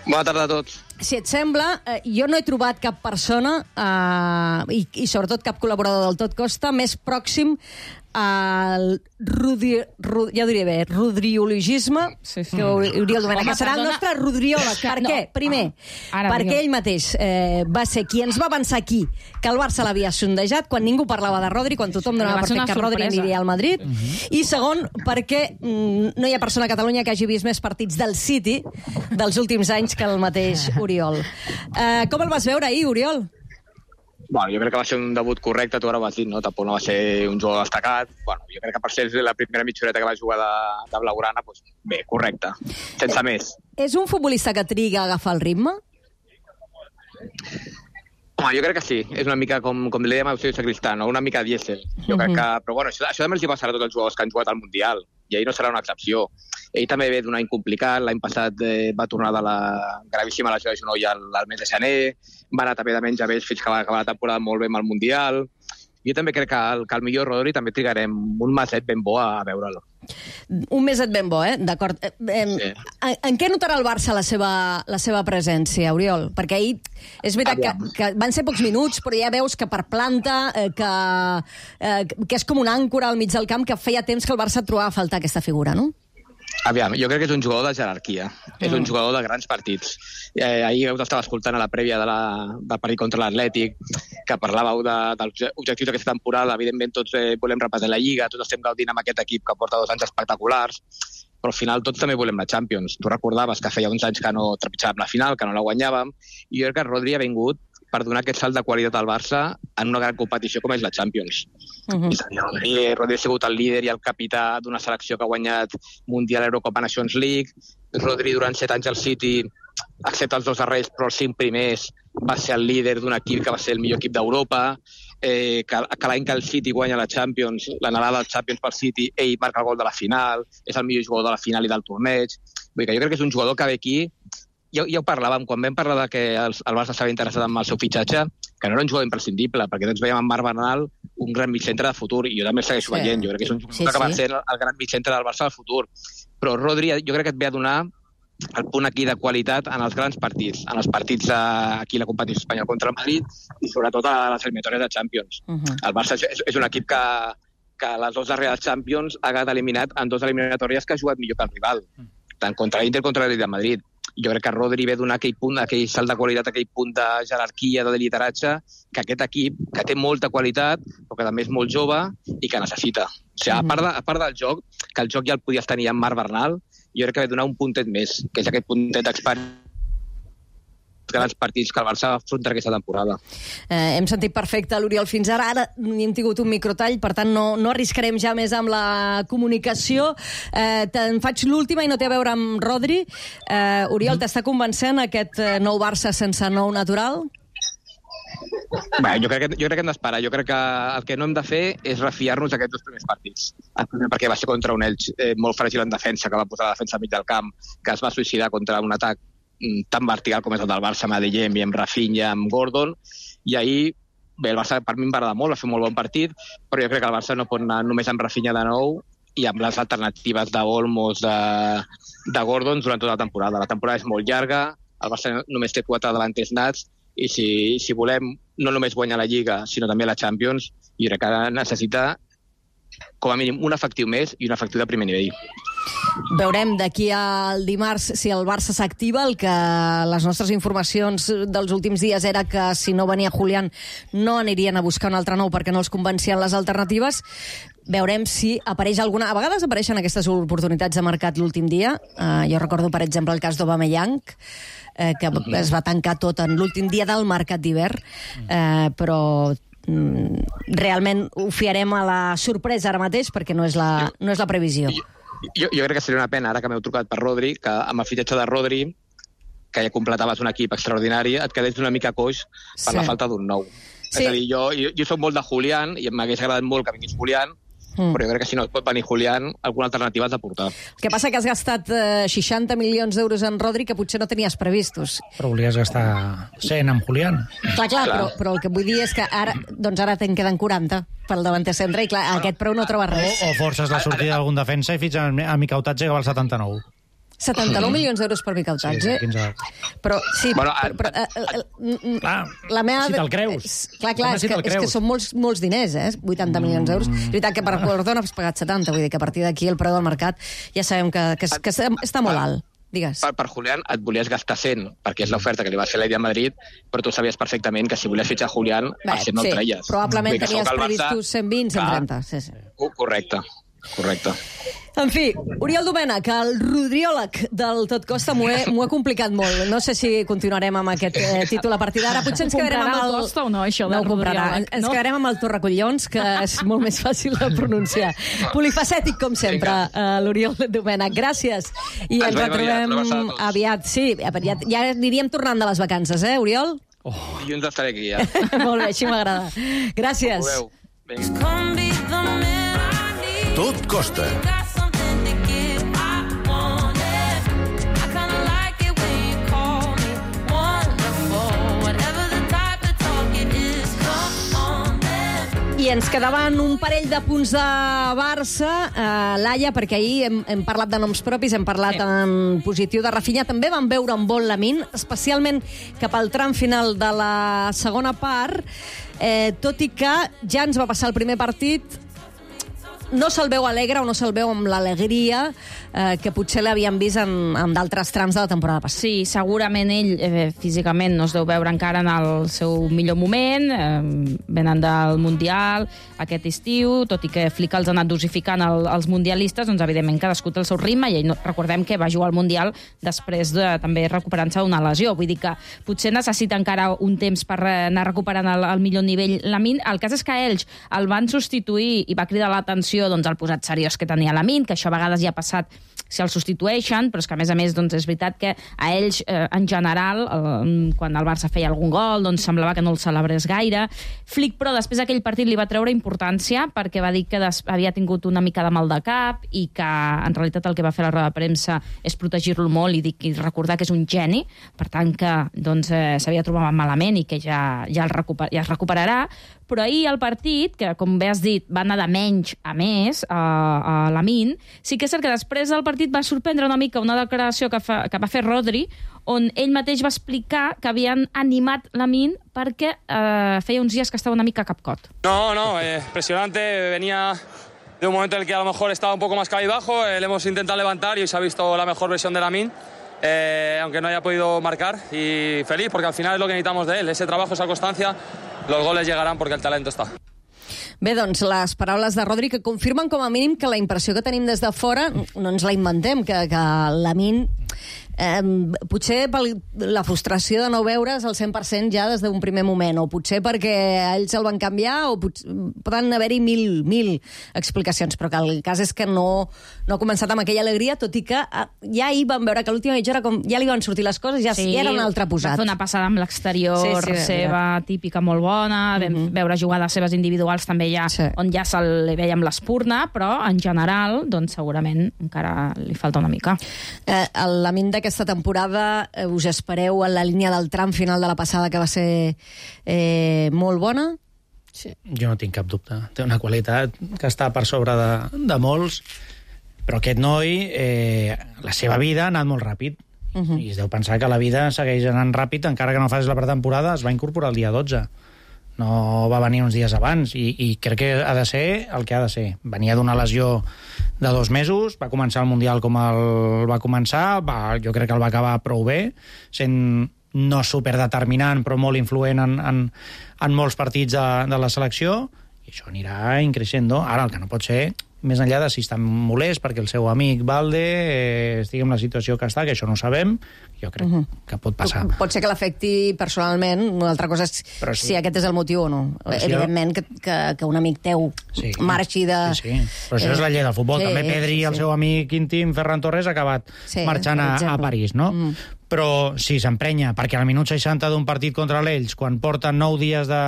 Bona tarda a tots. Si et sembla, eh, jo no he trobat cap persona, eh, i, i sobretot cap col·laborador del Tot Costa, més pròxim al Rudi, Rudi, ja ho diré bé, rodriologisme, sí, sí. que Oriol Domènech, que serà el nostre rodriòleg. Per què? No. Primer, ah, perquè ell mateix eh, va ser qui ens va avançar aquí que el Barça l'havia sondejat quan ningú parlava de Rodri, quan tothom donava per fet que Rodri aniria al Madrid. Uh -huh. I segon, perquè mm, no hi ha persona a Catalunya que hagi vist més partits del City dels últims anys que el mateix Oriol. Eh, com el vas veure ahir, Oriol? Bueno, jo crec que va ser un debut correcte, tu ara ho has dit, no? Tampoc no va ser un jugador destacat. Bueno, jo crec que per ser la primera mitjoreta que va jugar de, de Blaugrana, doncs bé, correcte, sense eh, més. És un futbolista que triga a agafar el ritme? Home, jo crec que sí. És una mica, com, com li dèiem a Eusebio Sacristán, no? Una mica dièsel. Jo uh-huh. crec que... Però bueno, això, això també els hi passarà a tots els jugadors que han jugat al Mundial. i ahir no serà una excepció. Ell també ve d'un any complicat, l'any passat eh, va tornar de la gravíssima lesió de genoll al, al mes de gener, va anar també de menys a vells fins que va acabar la temporada molt bé amb el Mundial. Jo també crec que el, que el millor Rodri també trigarem un meset ben bo a veure'l. Un meset ben bo, eh? D'acord. Eh, eh, sí. en, en què notarà el Barça la seva, la seva presència, Oriol? Perquè ahir és veritat que, que van ser pocs minuts, però ja veus que per planta, eh, que, eh, que és com una àncora al mig del camp, que feia temps que el Barça trobava a faltar aquesta figura, no? Aviam, jo crec que és un jugador de jerarquia, mm. és un jugador de grans partits. Eh, ahir us estava escoltant a la prèvia de la, del partit contra l'Atlètic, que parlàveu de, dels objectius d'aquesta temporada. Evidentment tots eh, volem repetir la Lliga, tots estem gaudint amb aquest equip que porta dos anys espectaculars, però al final tots també volem la Champions. Tu recordaves que feia uns anys que no trepitjàvem la final, que no la guanyàvem, i jo crec que Rodri ha vingut per donar aquest salt de qualitat al Barça en una gran competició com és la Champions. Uh-huh. És a dir, Rodri, Rodri ha sigut el líder i el capità d'una selecció que ha guanyat Mundial, Eurocopa, Nations League. Rodri durant set anys al City, excepte els dos darrers, però els cinc primers, va ser el líder d'un equip que va ser el millor equip d'Europa, eh, que, que l'any que el City guanya la Champions, l'anhelada del Champions pel City, ell marca el gol de la final, és el millor jugador de la final i del torneig. Vull dir que jo crec que és un jugador que ve aquí. Ja, ja ho parlàvem, quan vam parlar de que el, el Barça estava interessat en el seu fitxatge, que no era un jugador imprescindible, perquè tots veiem en Marc Bernal un gran mitjcentre de futur, i jo també el segueixo sí. veient. Jo crec que és un jugador sí, que sí. va ser el gran mitjcentre del Barça del futur. Però Rodri jo crec que et ve a donar el punt aquí de qualitat en els grans partits, en els partits de, aquí la competició espanyola contra el Madrid i sobretot a les eliminatòries de Champions. Uh-huh. El Barça és, és un equip que, que les dues darreres Champions ha quedat eliminat en dues eliminatòries que ha jugat millor que el rival, tant contra l'Inter contra l'Atlètic de Madrid. Jo crec que Rodri ve donar aquell punt, aquell salt de qualitat, aquell punt de jerarquia, de lideratge, que aquest equip, que té molta qualitat, però que també és molt jove i que necessita. O sigui, a part, de, a part del joc, que el joc ja el podies tenir amb Marc Bernal, jo crec que ve donar un puntet més, que és aquest puntet d'experiència grans partits que el Barça afronta aquesta temporada. Eh, hem sentit perfecte l'Oriol fins ara. Ara ni hem tingut un microtall, per tant no, no arriscarem ja més amb la comunicació. Eh, te'n faig l'última i no té a veure amb Rodri. Eh, Oriol, t'està convencent aquest nou Barça sense nou natural? Bé, jo crec que, jo crec que hem d'esperar. Jo crec que el que no hem de fer és refiar-nos aquests dos primers partits. El primer perquè va ser contra un Elx eh, molt fràgil en defensa, que va posar la defensa al mig del camp, que es va suïcidar contra un atac tan vertical com és el del Barça amb Adeyemi, amb Rafinha, amb Gordon, i ahir, bé, el Barça per mi em va agradar molt, va fer un molt bon partit, però jo crec que el Barça no pot anar només amb Rafinha de nou i amb les alternatives d'Olmos, de, de Gordon durant tota la temporada. La temporada és molt llarga, el Barça només té quatre davanters nats, i si, si volem no només guanyar la Lliga, sinó també la Champions, jo crec que necessita com a mínim un efectiu més i un efectiu de primer nivell. Veurem d'aquí al dimarts si el Barça s'activa. El que les nostres informacions dels últims dies era que si no venia Julián no anirien a buscar un altre nou perquè no els convencien les alternatives. Veurem si apareix alguna... A vegades apareixen aquestes oportunitats de mercat l'últim dia. Uh, jo recordo, per exemple, el cas d'Aubameyang, eh, que es va tancar tot en l'últim dia del mercat d'hivern, eh, però realment ho fiarem a la sorpresa ara mateix perquè no és la, no és la previsió. Jo, jo crec que seria una pena, ara que m'heu trucat per Rodri, que amb el fitxatge de Rodri, que ja completaves un equip extraordinari, et quedés una mica coix per sí. la falta d'un nou. Sí. És a dir, jo, jo, jo soc molt de Julián i m'hagués agradat molt que vingués Julián, mm. però jo crec que si no pot venir Julián, alguna alternativa has de portar. El que passa que has gastat eh, seixanta milions d'euros en Rodri que potser no tenies previstos. Però volies gastar cent amb Julián. Clar, clar, clar. Però, però el que vull dir és que ara, doncs ara te'n queden quaranta pel davanter centre i clar, bueno, aquest preu no troba res. O, o forces la sortida d'algun defensa i fins a, a Mica Autatge que val setanta-nou. setanta-nou milions d'euros per Mica Autatge? Sí, quinze... Però, sí, bueno, però... però uh, uh, clar, la meva... si te'l creus. Clar, clar, és que, és que són molts, molts diners, eh? vuitanta mm. milions d'euros. És veritat que per Gordon has pagat setanta, vull dir que a partir d'aquí el preu del mercat ja sabem que, que, que està molt alt. Digues. Per, per Julián et volies gastar cent, perquè és l'oferta que li va fer l'Atlètic de Madrid, però tu sabies perfectament que si volies fitxar Julián, Bé, el cent no sí, el treies. Probablement tenies previstos cent vint, cent trenta. Sí, sí. Correcte. Correcte. En fi, Oriol Domènech, el rodriòleg del Tot Costa, m'ho he, he complicat molt. No sé si continuarem amb aquest eh, títol a partir d'ara. Potser ens quedarem amb el... Costa o no, això no del rodriòleg? Ens no? quedarem amb el Torracollons, que és molt més fàcil de pronunciar. Polifacètic, com sempre, uh, l'Oriol Domènech. Gràcies. I ens retrobem aviat. Sí, ja, ja aniríem tornant de les vacances, eh, Oriol? Oh. Dilluns estaré aquí, ja. Molt bé, així m'agrada. Gràcies. Tot costa. I ens quedaven un parell de punts de Barça, eh, Laia, perquè ahir hem, hem parlat de noms propis, hem parlat sí. en positiu de Rafinha, també vam veure un bon Lamine, especialment cap al tram final de la segona part, eh, tot i que ja ens va passar el primer partit, no se'l veu alegre o no se'l veu amb l'alegria eh, que potser l'havíem vist en, en d'altres trams de la temporada passada. Sí, segurament ell eh, físicament no es deu veure encara en el seu millor moment, eh, venen del Mundial aquest estiu, tot i que Flick els ha anat dosificant el, els mundialistes, doncs evidentment cadascú té el seu ritme, i ell no, recordem que va jugar al Mundial després de també recuperant-se d'una lesió, vull dir que potser necessita encara un temps per anar recuperant el, el millor nivell Lamine. El cas és que ells el van substituir i va cridar l'atenció doncs, el posat seriós que tenia Lamine, que això a vegades ja ha passat si el substitueixen, però és que a més a més doncs, és veritat que a ells eh, en general eh, quan el Barça feia algun gol doncs semblava que no el celebrés gaire. Flick, però després d'aquell partit li va treure importància perquè va dir que des... havia tingut una mica de mal de cap i que en realitat el que va fer la roda de premsa és protegir-lo molt i, dir, i recordar que és un geni, per tant que doncs, eh, s'havia trobat malament i que ja, ja, el recuper... ja es recuperarà. Però ahir el partit, que com bé has dit va anar de menys a més a, a Lamine, sí que és cert que després del partit va sorprendre una mica una declaració que, fa, que va fer Rodri, on ell mateix va explicar que havien animat Lamine perquè eh, feia uns dies que estava una mica capcot. No, no, eh, impresionante, venía de un momento en el que a lo mejor estaba un poco más cabizbajo, eh, le hemos intentado levantar y hoy se ha visto la mejor versión de Lamine. Eh, aunque no haya podido marcar, y feliz porque al final es lo que necesitamos de él, ese trabajo, esa constancia, los goles llegarán porque el talento está. Bé, doncs, les paraules de Rodri que confirmen com a mínim que la impressió que tenim des de fora no ens la inventem, que, que Lamine eh, potser per la frustració de no veure's al cent per cent ja des d'un primer moment, o potser perquè ells el van canviar, o potser, poden haver-hi mil, mil explicacions, però que el cas és que no, no ha començat amb aquella alegria, tot i que eh, ja ahir vam veure que a l'última mitja hora com ja li van sortir les coses, ja, sí, ja era un altre posat. Va fer una passada amb l'exterior sí, sí, seva, ja. típica, molt bona, vam mm-hmm. veure jugades seves individuals també ja, sí. on ja se li veia amb l'espurna, però en general, doncs segurament encara li falta una mica. Eh, el Lamine d'aquesta temporada eh, us espereu en la línia del tram final de la passada, que va ser eh, molt bona? Sí. Jo no tinc cap dubte. Té una qualitat que està per sobre de, de molts, però aquest noi, eh, la seva vida ha anat molt ràpid. Uh-huh. I es deu pensar que la vida segueix anant ràpid, encara que no facis la pretemporada, es va incorporar el dia dotze. No va venir uns dies abans, i, i crec que ha de ser el que ha de ser. Venia d'una lesió de dos mesos, va començar el Mundial com el va començar, va, jo crec que el va acabar prou bé, sent no superdeterminant, però molt influent en, en, en molts partits de, de la selecció, i això anirà increixendo. Ara, el que no pot ser, més enllà de si està molest perquè el seu amic Valde eh, estigui en la situació que està, que això no ho sabem, jo crec uh-huh. que pot passar. Pot ser que l'afecti personalment, una altra cosa és sí. si aquest és el motiu o no. Però evidentment que, que, que un amic teu sí. marxi de... Sí, sí. Però això eh, és la llei del futbol. Sí, també Pedri i sí, el sí. seu amic íntim, Ferran Torres, ha acabat sí, marxant a, a París, no? Mm. Però sí, s'emprenya, perquè al minut seixanta d'un partit contra l'Ells, quan porten nou dies de...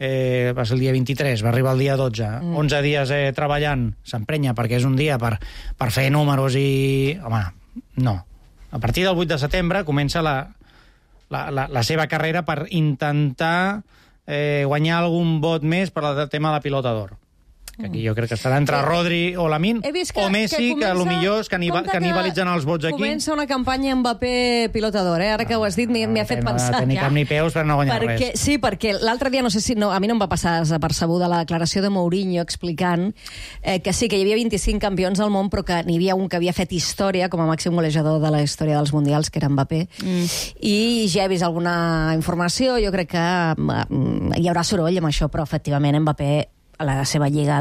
Eh, va ser el dia vint-i-tres, va arribar el dia dotze, mm. onze dies eh, treballant, s'emprenya perquè és un dia per, per fer números i... Home, no. A partir del vuit de setembre comença la, la, la, la seva carrera per intentar eh, guanyar algun vot més per al tema de la pilota d'or. Que aquí jo crec que estarà entre Rodri o Lamine, que, o Messi, que, que a lo millor és canibalitzen els vots aquí. Comença una campanya Mbappé pilota d'or, eh? Ara que ho has dit m'hi ha fet pensar. No tenir cap ni peus per no guanyar perquè, res. Sí, perquè l'altre dia, no sé si... No, a mi no em va passar desapercebuda la declaració de Mourinho explicant eh, que sí, que hi havia vint-i-cinc campions al món, però que n'hi havia un que havia fet història com a màxim golejador de la història dels Mundials, que era Mbappé. Mm. I ja he vist alguna informació, jo crec que mm, hi haurà soroll amb això, però efectivament Mbappé a la seva lliga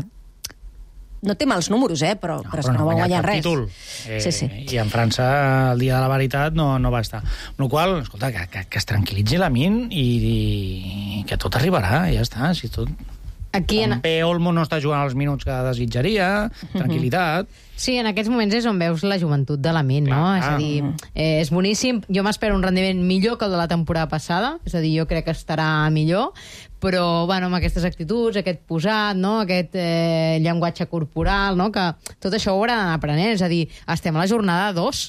no té mals números, eh? però, no, però, però és que no, no va guanyar res. Títol. Eh, sí, sí. I en França, el dia de la veritat, no, no va estar. Amb la qual cosa, escolta, que, que, que es tranquil·litzi Lamine i, i que tot arribarà, ja està. Si tot... Aquí en... També Olmo no està jugant els minuts que desitjaria, tranquil·litat. Sí, en aquests moments és on veus la joventut de Lamine, no? És a dir, eh, és boníssim. Jo m'espero un rendiment millor que el de la temporada passada, és a dir, jo crec que estarà millor, però, bueno, amb aquestes actituds, aquest posat, no? Aquest eh, llenguatge corporal, no? Que tot això ho haurà d'anar aprenent, és a dir, estem a la jornada dos.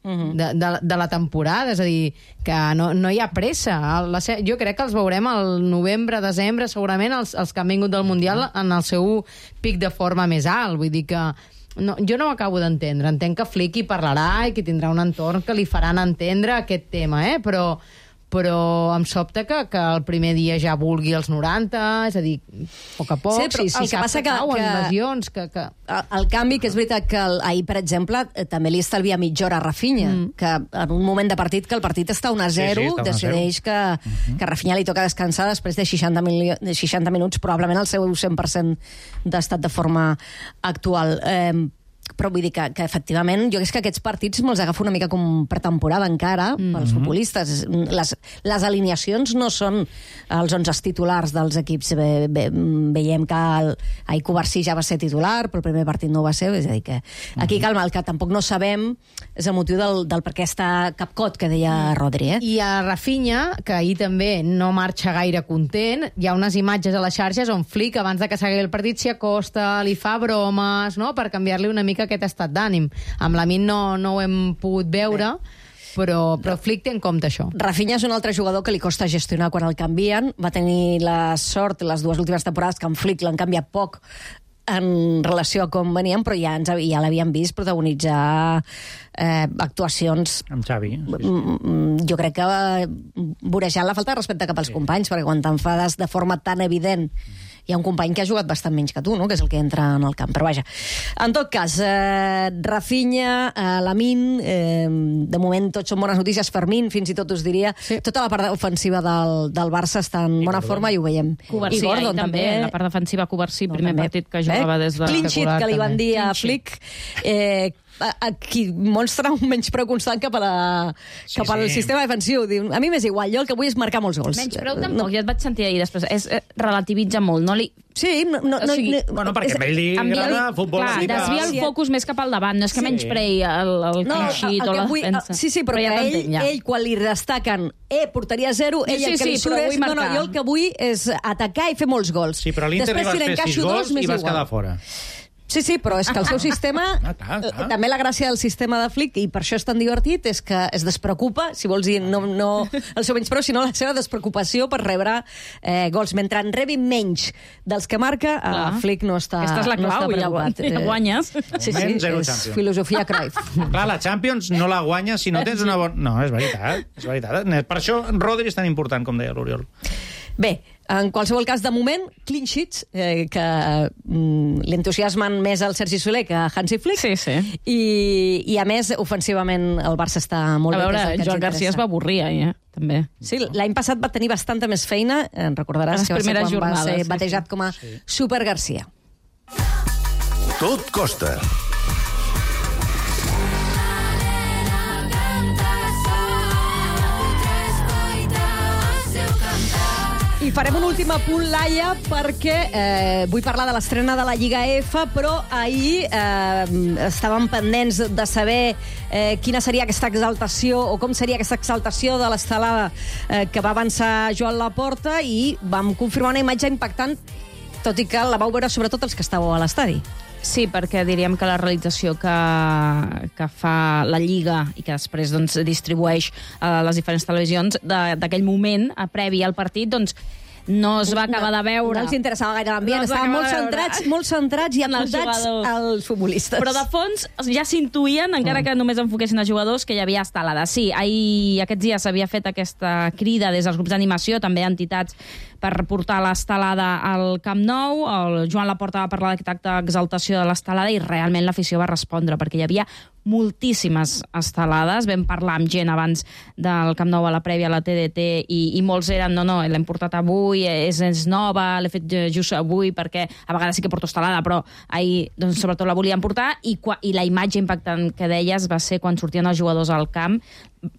uh-huh. de, de, de la temporada, és a dir, que no, no hi ha pressa. La, jo crec que els veurem al novembre, desembre, segurament els, els que han vingut del Mundial en el seu pic de forma més alt. Vull dir que no, jo no ho acabo d'entendre. Entenc que Flick hi parlarà i que tindrà un entorn que li faran entendre aquest tema, eh? però però em sobta que, que el primer dia ja vulgui els noranta, és a dir, a poc a poc, sí, però sí, sí, el que cap passa que, que, cauen, que lesions, que, que... El, el canvi, que és veritat que el, ahir, per exemple, eh, també li estalvia mitja hora a Rafinha, mm. que en un moment de partit que el partit està un a zero, sí, sí, decideix que, uh-huh. que a Rafinha li toca descansar després de seixanta, mil, de seixanta minuts, probablement el seu cent per cent d'estat de forma actual. Eh, però vull dir que, que efectivament jo és que aquests partits me'ls agafo una mica com pretemporada encara mm-hmm. pels futbolistes. Les, les alineacions no són els onze titulars dels equips. Ve, ve, veiem que el, el Covarsí ja va ser titular, però el primer partit no ho va ser, és a dir que aquí calma, el que tampoc no sabem és el motiu del, del per què està capcot, que deia Rodri. Eh? I a Rafinha, que ahir també no marxa gaire content, hi ha unes imatges a les xarxes on Flick, abans de que s'acabés el partit, s'hi acosta, li fa bromes, no?, per canviar-li una mica aquest estat d'ànim. Amb l'Amin no, no ho hem pogut veure, però, però Flick té en compte això. Rafinha és un altre jugador que li costa gestionar quan el canvien. Va tenir la sort les dues últimes temporades que en Flick l'han canviat poc en relació a com venien, però ja, ens, ja l'havíem vist protagonitzar eh, actuacions... Amb Xavi. Sí, sí. Jo crec que vorejant la falta de respecte cap als sí. companys, perquè quan t'enfades de forma tan evident hi ha un company que ha jugat bastant menys que tu, no?, que és el que entra en el camp. Però vaja, en tot cas, eh, Rafinha, eh, Lamine, eh, de moment tots són bones notícies. Fermín, fins i tot us diria, sí. tota la part ofensiva del, del Barça està en bona Gordon. forma i ho veiem. Covarsí, I Gordon també, també. La part defensiva Covarsí, no, primer també. partit que jugava eh? des de... Clean sheet, que li van dir a Flick. Eh, aquí mostra un menyspreu constant cap, a la, sí, cap al sí. sistema defensiu. Diu, a mi m'és igual, jo el que vull és marcar molts gols. Menyspreu tampoc, no. ja et vaig sentir ahir després. És, eh, relativitza molt, no li... Sí, no... no, o sigui, no bueno, perquè a ell li agrada futbol. Clar, desvia el focus més cap al davant, no és que sí. menysprei el, el no, clean sheet o la vull, defensa. Sí, sí, però, però ja ell, ja. ell, quan li destaquen eh, portaria zero, ell sí, el que sí, li surt és... No, no, jo el que vull és atacar i fer molts gols. Sí, però l'Inter li vas fer sis gols i vas quedar fora. Sí, sí, però és que el seu sistema... Ah, clar, clar. També la gràcia del sistema de Flick, i per això és tan divertit, és que es despreocupa, si vols dir, no, no el seu menyspreu, sinó la seva despreocupació per rebre eh, gols. Mentre en rebi menys dels que marca, eh, Flick no està, Aquesta és la clau, no està preocupat. Ja guanyes. Sí, sí, és filosofia Cruyff. Clar, la Champions no la guanyes si no tens una bona... No, és veritat, és veritat. Per això Rodri és tan important, com deia l'Oriol. Bé, en qualsevol cas, de moment, clean sheets, eh, que mm, l'entusiasmen més el Sergi Soler que Hansi Flick. Sí, sí. I, I, a més, ofensivament, el Barça està molt bé. A veure, Joan García es va avorrir, eh? També. Sí, l'any passat va tenir bastanta més feina, eh, recordaràs que va ser quan jornades, va ser batejat sí, sí. com a sí. Super Garcia. Tot costa. I farem un últim apunt, Laia, perquè eh, vull parlar de l'estrena de la Lliga F, però ahir eh, estàvem pendents de saber eh, quina seria aquesta exaltació, o com seria aquesta exaltació de l'estelada eh, que va avançar Joan Laporta, i vam confirmar una imatge impactant, tot i que la vau veure sobretot els que estàveu a l'estadi. Sí, perquè diríem que la realització que, que fa la Lliga i que després doncs, distribueix a les diferents televisions d'aquell moment, a previ al partit, doncs no es va acabar de veure. No els interessava gaire l'ambient, no estaven molt centrats, molt centrats i apuntats als futbolistes. Però de fons ja s'intuïen, encara que només enfoquessin els jugadors, que hi havia estelada. Sí, ahir, aquests dies s'havia fet aquesta crida des dels grups d'animació, també entitats, per portar l'estelada al Camp Nou. El Joan Laporta va parlar d'aquesta exaltació de l'estelada i realment l'afició va respondre, perquè hi havia moltíssimes estelades. Vam parlar amb gent abans del Camp Nou a la prèvia a la T D T i, i molts eren, no, no, l'hem portat avui, és, és nova, l'he fet just avui perquè a vegades sí que porto estelada, però ahir doncs, sobretot la volíem portar, i, i la imatge impactant que deies va ser quan sortien els jugadors al camp.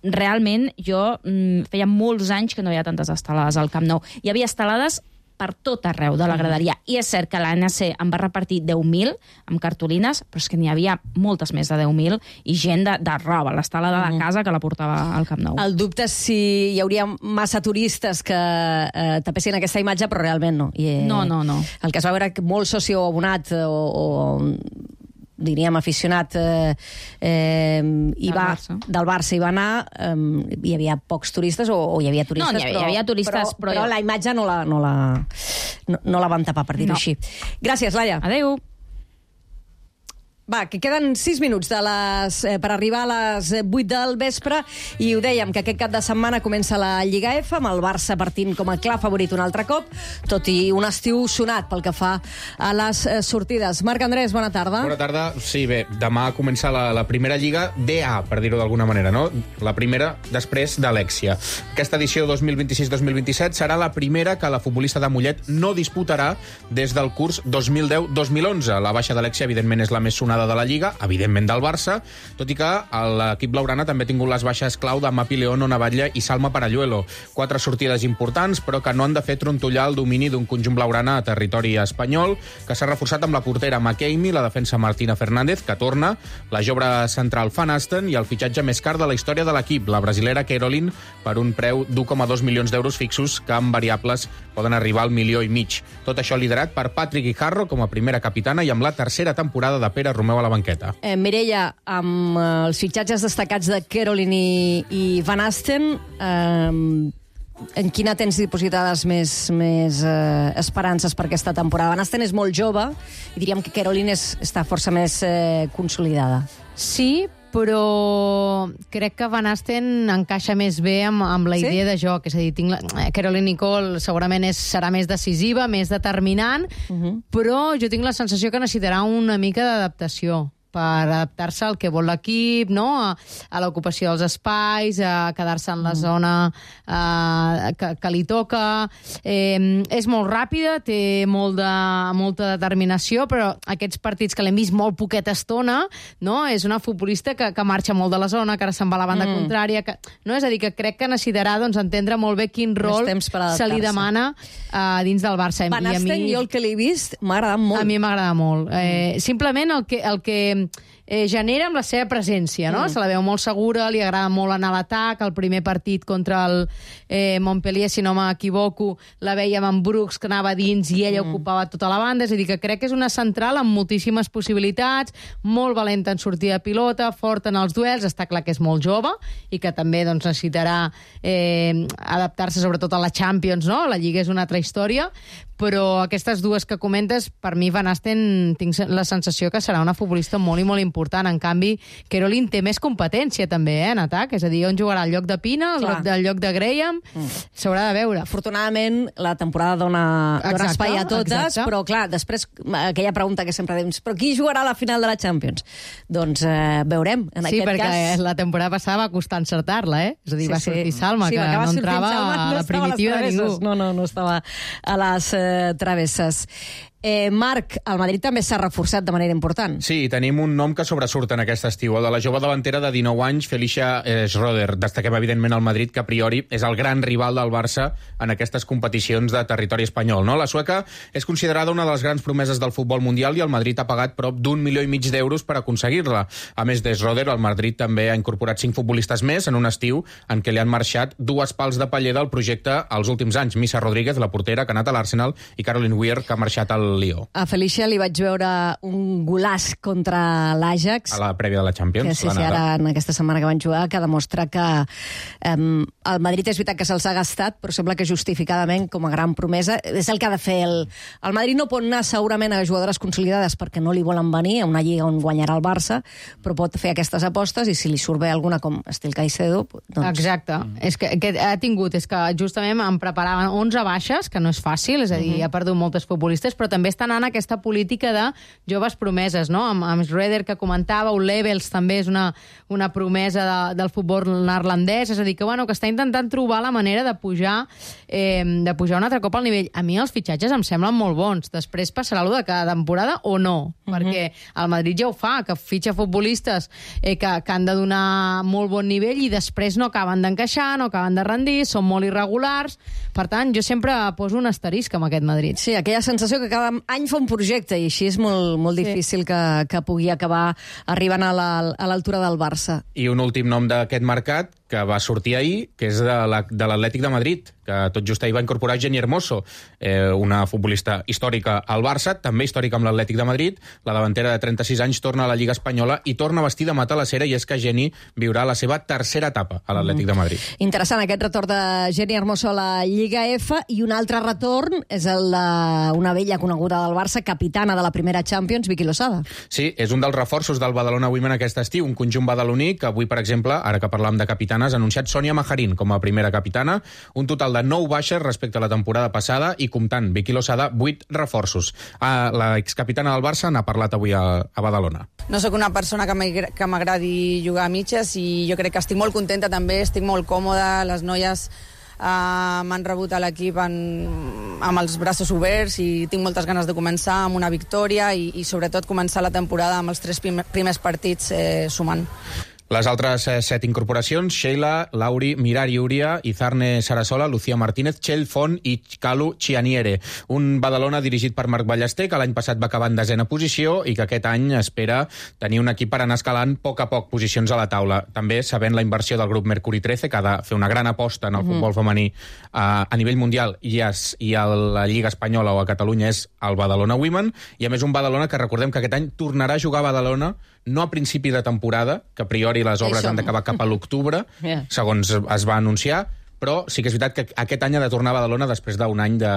Realment, jo mm, feia molts anys que no hi ha tantes estelades al Camp Nou. Hi havia estelades per tot arreu de la graderia. I és cert que l'A N C en va repartir deu mil amb cartolines, però és que n'hi havia moltes més de deu mil, i gent de, de roba, l'estelada de casa que la portava al Camp Nou. El dubte és si hi hauria massa turistes que eh, tapessin aquesta imatge, però realment no. I, eh, no, no, no. El que es va veure molt socio abonat o... o diríem, aficionat eh, eh, i Del va, Barça. del Barça hi va anar, eh, hi havia pocs turistes o, o hi havia turistes, No, hi havia- però, hi havia turistes, però, però- però la imatge no la, no la, no, no la van tapar, per dir-ho No. així. Gràcies, Laia. Adéu. Va, que queden sis minuts de les, eh, per arribar a les vuit del vespre i ho dèiem, que aquest cap de setmana comença la Lliga F, amb el Barça partint com a clar favorit un altre cop, tot i un estiu sonat pel que fa a les eh, sortides. Marc Andrés, bona tarda. Bona tarda. Sí, bé, demà comença la, la primera Lliga D A, per dir-ho d'alguna manera, no? La primera després d'Alexia. Aquesta edició dos mil vint-i-sis dos mil vint-i-set serà la primera que la futbolista de Mollet no disputarà des del curs dos mil deu dos mil onze. La baixa d'Alexia, evidentment, és la més sonada de la Lliga, evidentment del Barça, tot i que l'equip blaugrana també ha tingut les baixes clau de Mapi León, Ona Batlle i Salma Paralluelo. Quatre sortides importants, però que no han de fer trontollar el domini d'un conjunt blaugrana a territori espanyol, que s'ha reforçat amb la portera McKamey, la defensa Martina Fernández, que torna, la jove central Van Asten i el fitxatge més car de la història de l'equip, la brasilera Caroline, per un preu d'u coma dos milions d'euros fixos, que amb variables poden arribar al milió i mig. Tot això liderat per Patrick Guijarro com a primera capitana i amb la tercera temporada de Pere Romeu a la banqueta. Eh, Mireia, amb eh, els fitxatges destacats de Caroline i, i Van Asten, eh, en quina tens dipositades més, més eh, esperances per aquesta temporada? Van Asten és molt jove i diríem que Caroline és, està força més eh, consolidada. Sí, però crec que Van Asten encaixa més bé amb, amb la Sí? idea de joc. És a dir, tinc la... Caroline Nicole segurament és, serà més decisiva, més determinant, però jo tinc la sensació que necessitarà una mica d'adaptació per adaptar-se al que vol l'equip, no? a, a l'ocupació dels espais, a quedar-se en la zona eh, que, que li toca. Eh, és molt ràpida, té molt de, molta determinació, però aquests partits que l'hem vist molt poqueta estona, no? És una futbolista que, que marxa molt de la zona, que ara se'n va a la banda Mm. contrària. Que, no? És a dir, que crec que necessitarà doncs, entendre molt bé quin rol temps per se li adaptar-se. demana uh, dins del Barça. Van I a Asten, mi... jo el que l'he vist, m'ha agradat molt. A mi m'agrada molt. Eh, simplement el que, el que eh, genera amb la seva presència, no? Mm. Se la veu molt segura, li agrada molt anar a l'atac. El primer partit contra el eh, Montpellier, si no m'equivoco, la vèiem amb Brooks, que anava dins i ella mm. ocupava tota la banda. És a dir, que crec que és una central amb moltíssimes possibilitats, molt valenta en sortida de pilota, forta en els duels, està clar que és molt jove i que també doncs, necessitarà eh, adaptar-se sobretot a la Champions, no? La Lliga és una altra història, però aquestes dues que comentes, per mi Van Asten tinc la sensació que serà una futbolista molt i molt important. En canvi, Caroline té més competència també, eh, en atac, és a dir, on jugarà el lloc de Pina, el Clar. lloc del lloc de Graham, mm. s'haurà de veure. Afortunadament, la temporada dona, dona Exacte, espai a totes, exacte. però clar, després aquella pregunta que sempre diem, però qui jugarà a la final de la Champions? Doncs eh, veurem, en Sí, aquest perquè cas... la temporada passada va costar encertar-la, eh? És a dir, Sí, va sí. sortir Salma, Sí, que va acabar no sortint entrava Salma, a no la estava a les primitiva de travesses. ningú. No, no, no estava a les eh, travesses. Eh, Marc, el Madrid també s'ha reforçat de manera important. Sí, tenim un nom que sobresurt en aquest estiu, el de la jove davantera de dinou anys, Felicia eh, Schroeder. Destaquem, evidentment, el Madrid, que a priori és el gran rival del Barça en aquestes competicions de territori espanyol. No? La sueca és considerada una de les grans promeses del futbol mundial i el Madrid ha pagat prop d'un milió i mig d'euros per aconseguir-la. A més de Schroeder, el Madrid també ha incorporat cinc futbolistes més en un estiu en què li han marxat dues pals de paller del projecte als últims anys. Missa Rodríguez, la portera, que ha anat a l'Arsenal, i Caroline Weir, que ha marxat al Lió. A Felicia li vaig veure un golaç contra l'Ajax. A la prèvia de la Champions. Que sí, sí, ara en aquesta setmana que van jugar, que demostra que um, el Madrid és veritat que se'ls ha gastat, però sembla que justificadament com a gran promesa. És el que ha de fer el... El Madrid no pot anar segurament a jugadores consolidades perquè no li volen venir a una lliga on guanyarà el Barça, però pot fer aquestes apostes i si li surt bé alguna com estil Caicedo... Doncs... Exacte. És que, que ha tingut, és que justament em preparaven onze baixes, que no és fàcil, és a dir, uh -huh. ha perdut moltes futbolistes, però també estan en aquesta política de joves promeses, no? Amb, amb Schroeder, que comentava, o Levels també és una, una promesa de, del futbol neerlandès, és a dir, que, bueno, que està intentant trobar la manera de pujar eh, de pujar un altre cop al nivell. A mi els fitxatges em semblen molt bons. Després passarà allò de cada temporada o no, uh -huh. perquè el Madrid ja ho fa, que fitxa futbolistes eh, que, que han de donar molt bon nivell i després no acaben d'encaixar, no acaben de rendir, són molt irregulars. Per tant, jo sempre poso un asterisc amb aquest Madrid. Sí, aquella sensació que cada any fa un projecte i així és molt, molt difícil sí. que, que pugui acabar arribant a l'altura la, del Barça. I un últim nom d'aquest mercat, que va sortir ahir, que és de l'Atlètic de Madrid, que tot just ahir va incorporar Jenny Hermoso, eh, una futbolista històrica al Barça, també històrica amb l'Atlètic de Madrid. La davantera de trenta-sis anys torna a la Lliga Espanyola i torna a vestir de matalasera, i és que Jenny viurà la seva tercera etapa a l'Atlètic de Madrid. Interessant aquest retorn de Jenny Hermoso a la Lliga F, i un altre retorn és el d'una vella coneguda del Barça, capitana de la primera Champions, Vicky Losada. Sí, és un dels reforços del Badalona Women aquest estiu, un conjunt badaloní que avui, per exemple, ara que parlàvem de capitanes, ha anunciat Sònia Majarín com a primera capitana, un total de nou baixes respecte a la temporada passada i, comptant Vicky Losada, vuit reforços. La excapitana del Barça n'ha parlat avui a, a Badalona. No sóc una persona que m'agradi jugar a mitges i jo crec que estic molt contenta també, estic molt còmoda, les noies Uh, m'han rebut a l'equip amb els braços oberts i tinc moltes ganes de començar amb una victòria i, i sobretot començar la temporada amb els tres primers partits eh, sumant. Les altres eh, set incorporacions, Sheila, Lauri, Mirari Uria, Izarne Sarasola, Lucía Martínez, Txell Font i Calu Chianiere. Un Badalona dirigit per Marc Ballester, que l'any passat va acabar en desena posició i que aquest any espera tenir un equip per anar escalant a poc a poc posicions a la taula. També sabent la inversió del grup Mercuri trece, que ha de fer una gran aposta en el mm. futbol femení a, a nivell mundial i a, i a la Lliga Espanyola o a Catalunya és el Badalona Women, i a més un Badalona que recordem que aquest any tornarà a jugar a Badalona no a principi de temporada, que a priori les obres han d'acabar cap a l'octubre, yeah. segons es va anunciar, però sí que és veritat que aquest any ha de tornar a Badalona després d'un any de...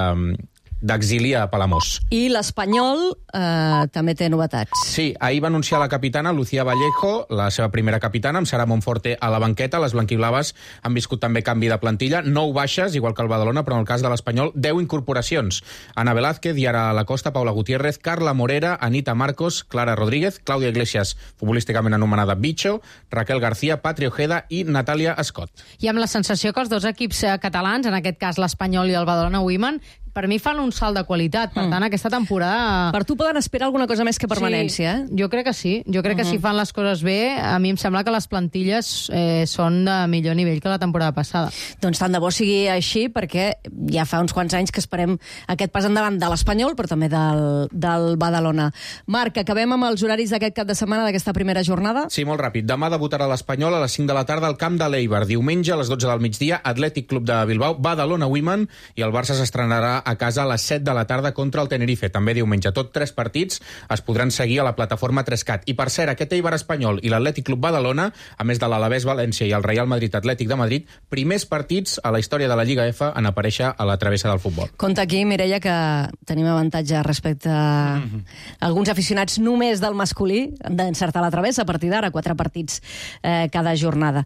d'exili a Palamós. I l'Espanyol eh, també té novetats. Sí, ahir va anunciar la capitana Lucía Vallejo, la seva primera capitana, amb Sara Monforte a la banqueta. Les blanquiblaves han viscut també canvi de plantilla, nou baixes, igual que el Badalona, però en el cas de l'Espanyol, deu incorporacions. Ana Velázquez, Yara Lacosta, Paula Gutiérrez, Carla Morera, Anita Marcos, Clara Rodríguez, Clàudia Iglesias, futbolísticament anomenada Bicho, Raquel García, Patri Ojeda i Natàlia Scott. I amb la sensació que els dos equips catalans, en aquest cas l'Espanyol i el Badalona Women, per mi fan un salt de qualitat. Per tant, mm. aquesta temporada... Per tu poden esperar alguna cosa més que permanència, sí, eh? Jo crec que sí. Jo crec uh -huh. que si fan les coses bé, a mi em sembla que les plantilles eh, són de millor nivell que la temporada passada. Doncs tant de bo sigui així, perquè ja fa uns quants anys que esperem aquest pas endavant de l'Espanyol, però també del, del Badalona. Marc, acabem amb els horaris d'aquest cap de setmana, d'aquesta primera jornada? Sí, molt ràpid. Demà debutarà l'Espanyol a les cinc de la tarda al camp de l'Eibar. Diumenge, a les dotze del migdia, Atlètic Club de Bilbao, Badalona Women, i el Barça s'estrenarà a casa a les set de la tarda contra el Tenerife, també diumenge. Tot tres partits es podran seguir a la plataforma tres cat. I per cert, aquest Eibar Espanyol i l'Atlètic Club Badalona, a més de l'Alavés València i el Real Madrid Atlètic de Madrid, primers partits a la història de la Lliga F en aparèixer a la travessa del futbol. Compte aquí, Mireia, que tenim avantatge respecte a mm -hmm. alguns aficionats només del masculí d'encertar la travessa a partir d'ara, quatre partits eh, cada jornada.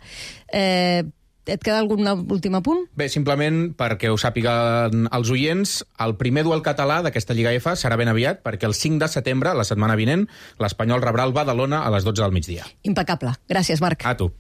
Eh, Et queda algun últim apunt? Bé, simplement perquè ho sàpiguen els oients, el primer duel català d'aquesta Lliga F serà ben aviat, perquè el cinc de setembre, la setmana vinent, l'Espanyol rebrà el Badalona a les dotze del migdia. Impecable. Gràcies, Marc. A tu.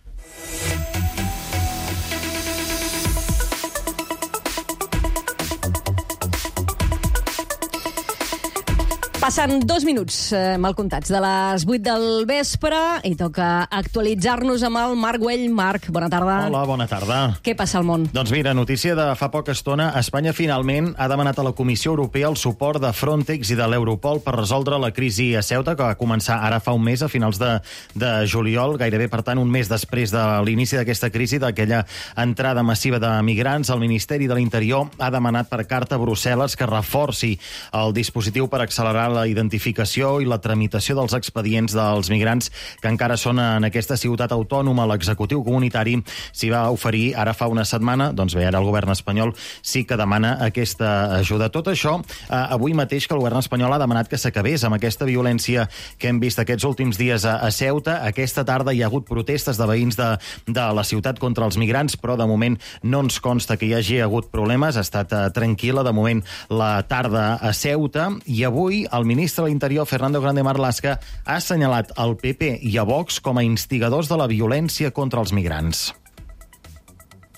Passen dos minuts, eh, mal comptats, de les vuit del vespre i toca actualitzar-nos amb el Marc Güell. Marc, bona tarda. Hola, bona tarda. Què passa al món? Doncs mira, notícia de fa poca estona. Espanya finalment ha demanat a la Comissió Europea el suport de Frontex i de l'Europol per resoldre la crisi a Ceuta, que va començar ara fa un mes, a finals de, de juliol, gairebé, per tant, un mes després de l'inici d'aquesta crisi, d'aquella entrada massiva de migrants. El Ministeri de l'Interior ha demanat per carta a Brussel·les que reforci el dispositiu per accelerar la identificació i la tramitació dels expedients dels migrants que encara són en aquesta ciutat autònoma. L'executiu comunitari s'hi va oferir ara fa una setmana. Doncs bé, ara el govern espanyol sí que demana aquesta ajuda. Tot això, eh, avui mateix que el govern espanyol ha demanat que s'acabés amb aquesta violència que hem vist aquests últims dies a, a Ceuta. Aquesta tarda hi ha hagut protestes de veïns de, de la ciutat contra els migrants, però de moment no ens consta que hi hagi hagut problemes. Ha estat eh, tranquil·la de moment la tarda a Ceuta, i avui el ministre de l'Interior, Fernando Grande Marlaska, ha assenyalat el P P i a Vox com a instigadors de la violència contra els migrants.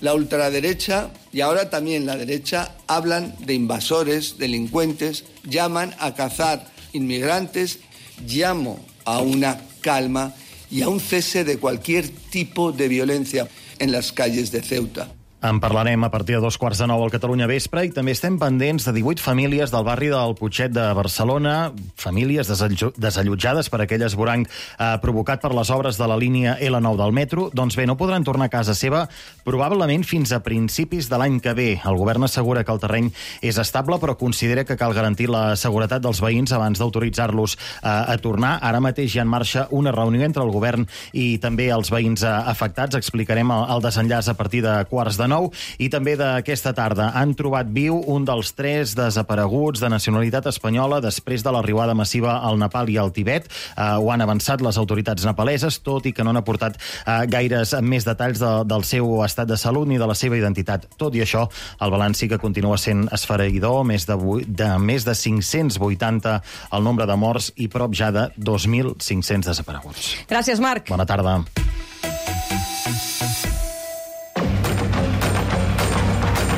La ultraderecha y ahora también la derecha hablan de invasores, delincuentes, llaman a cazar inmigrantes. Llamo a una calma y a un cese de cualquier tipo de violencia en las calles de Ceuta. En parlarem a partir de dos quarts de nou al Catalunya Vespre i també estem pendents de divuit famílies del barri del Putxet de Barcelona, famílies desallotjades per aquell esvoranc eh, provocat per les obres de la línia L nou del metro. Doncs bé, no podran tornar a casa seva probablement fins a principis de l'any que ve. El govern assegura que el terreny és estable, però considera que cal garantir la seguretat dels veïns abans d'autoritzar-los eh, a tornar. Ara mateix hi ha en marxa una reunió entre el govern i també els veïns eh, afectats. Explicarem el, el desenllaç a partir de quarts de nou. I també d'aquesta tarda han trobat viu un dels tres desapareguts de nacionalitat espanyola després de l'arribada massiva al Nepal i al Tibet. Eh, ho han avançat les autoritats nepaleses, tot i que no han aportat eh, gaires més detalls de, del seu estat de salut ni de la seva identitat. Tot i això, el balanç sí que continua sent esfereïdor, més de, de més de cinc-cents vuitanta el nombre de morts i prop ja de dos mil cinc-cents desapareguts. Gràcies, Marc. Bona tarda.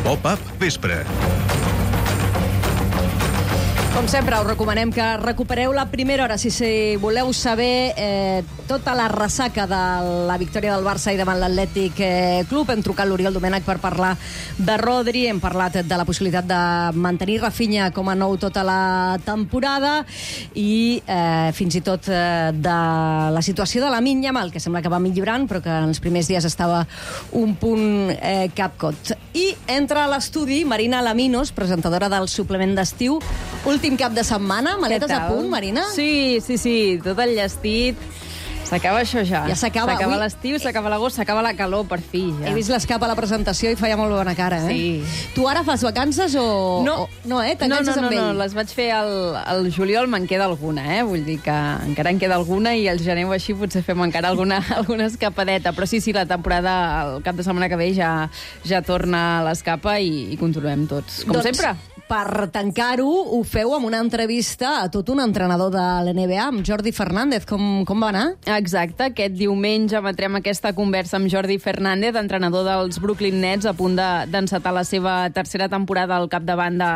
Pop-up Vespre. Com sempre, us recomanem que recupereu la primera hora si, si voleu saber eh, tota la ressaca de la victòria del Barça i davant l'Atlètic eh, Club. Hem trucat l'Oriol Domènech per parlar de Rodri, hem parlat de la possibilitat de mantenir Rafinha com a nou tota la temporada i eh, fins i tot eh, de la situació de Lamine Yamal, que sembla que va millorant, però que en els primers dies estava un punt eh, capcot. I entra a l'estudi Marina Laminos, presentadora del suplement d'estiu. Últim cap de setmana, maletes a punt, Marina? Sí, sí, sí, tot enllestit. S'acaba això ja. Ja s'acaba. S'acaba Ui. l'estiu, s'acaba l'agost, s'acaba la calor, per fi, ja. He vist l'escap a la presentació i feia molt bona cara, eh? Sí. Tu ara fas vacances o... No. o... No, eh? No, no, T'enganxes no, amb no, ell? les vaig fer al, al juliol, me'n queda alguna, eh? Vull dir que encara en queda alguna i al gener o així potser fem encara alguna, alguna escapadeta. Però sí, sí, la temporada, el cap de setmana que ve ja, ja torna a l'escapa i, i continuem tots, com doncs, sempre. Per tancar-ho, ho feu amb una entrevista a tot un entrenador de l'N B A, amb Jordi Fernández. Com, com va anar? Exacte, aquest diumenge emetrem aquesta conversa amb Jordi Fernández, entrenador dels Brooklyn Nets, a punt d'encetar la seva tercera temporada al capdavant de,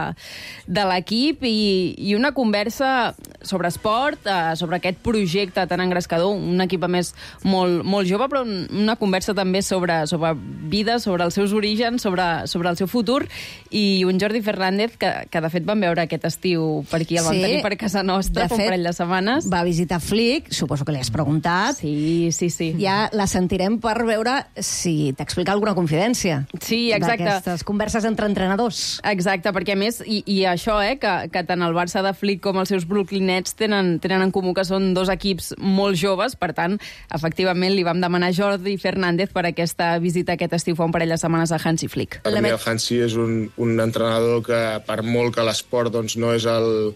de l'equip, i, i una conversa sobre esport, eh, sobre aquest projecte tan engrescador, un equip a més molt, molt jove, però una conversa també sobre, sobre vida, sobre els seus orígens, sobre, sobre el seu futur, i un Jordi Fernández que, que de fet vam veure aquest estiu per aquí, el vam Sí, tenir per casa nostra, de fa un fet, parell de setmanes. Va visitar Flick, suposo que li has preguntat. Sí, sí, sí. Ja la sentirem per veure si t'explica alguna confidència. Sí, exacte. D'aquestes converses entre entrenadors. Exacte, perquè a més, i, i això, eh, que, que tant el Barça de Flick com els seus Brooklyn Nets tenen, tenen en comú que són dos equips molt joves, per tant, efectivament, li vam demanar a Jordi Fernández per aquesta visita aquest estiu fa un parell de setmanes a Hansi Flick. Per mi el Hansi és un, un entrenador que, per molt que l'esport doncs, no és el...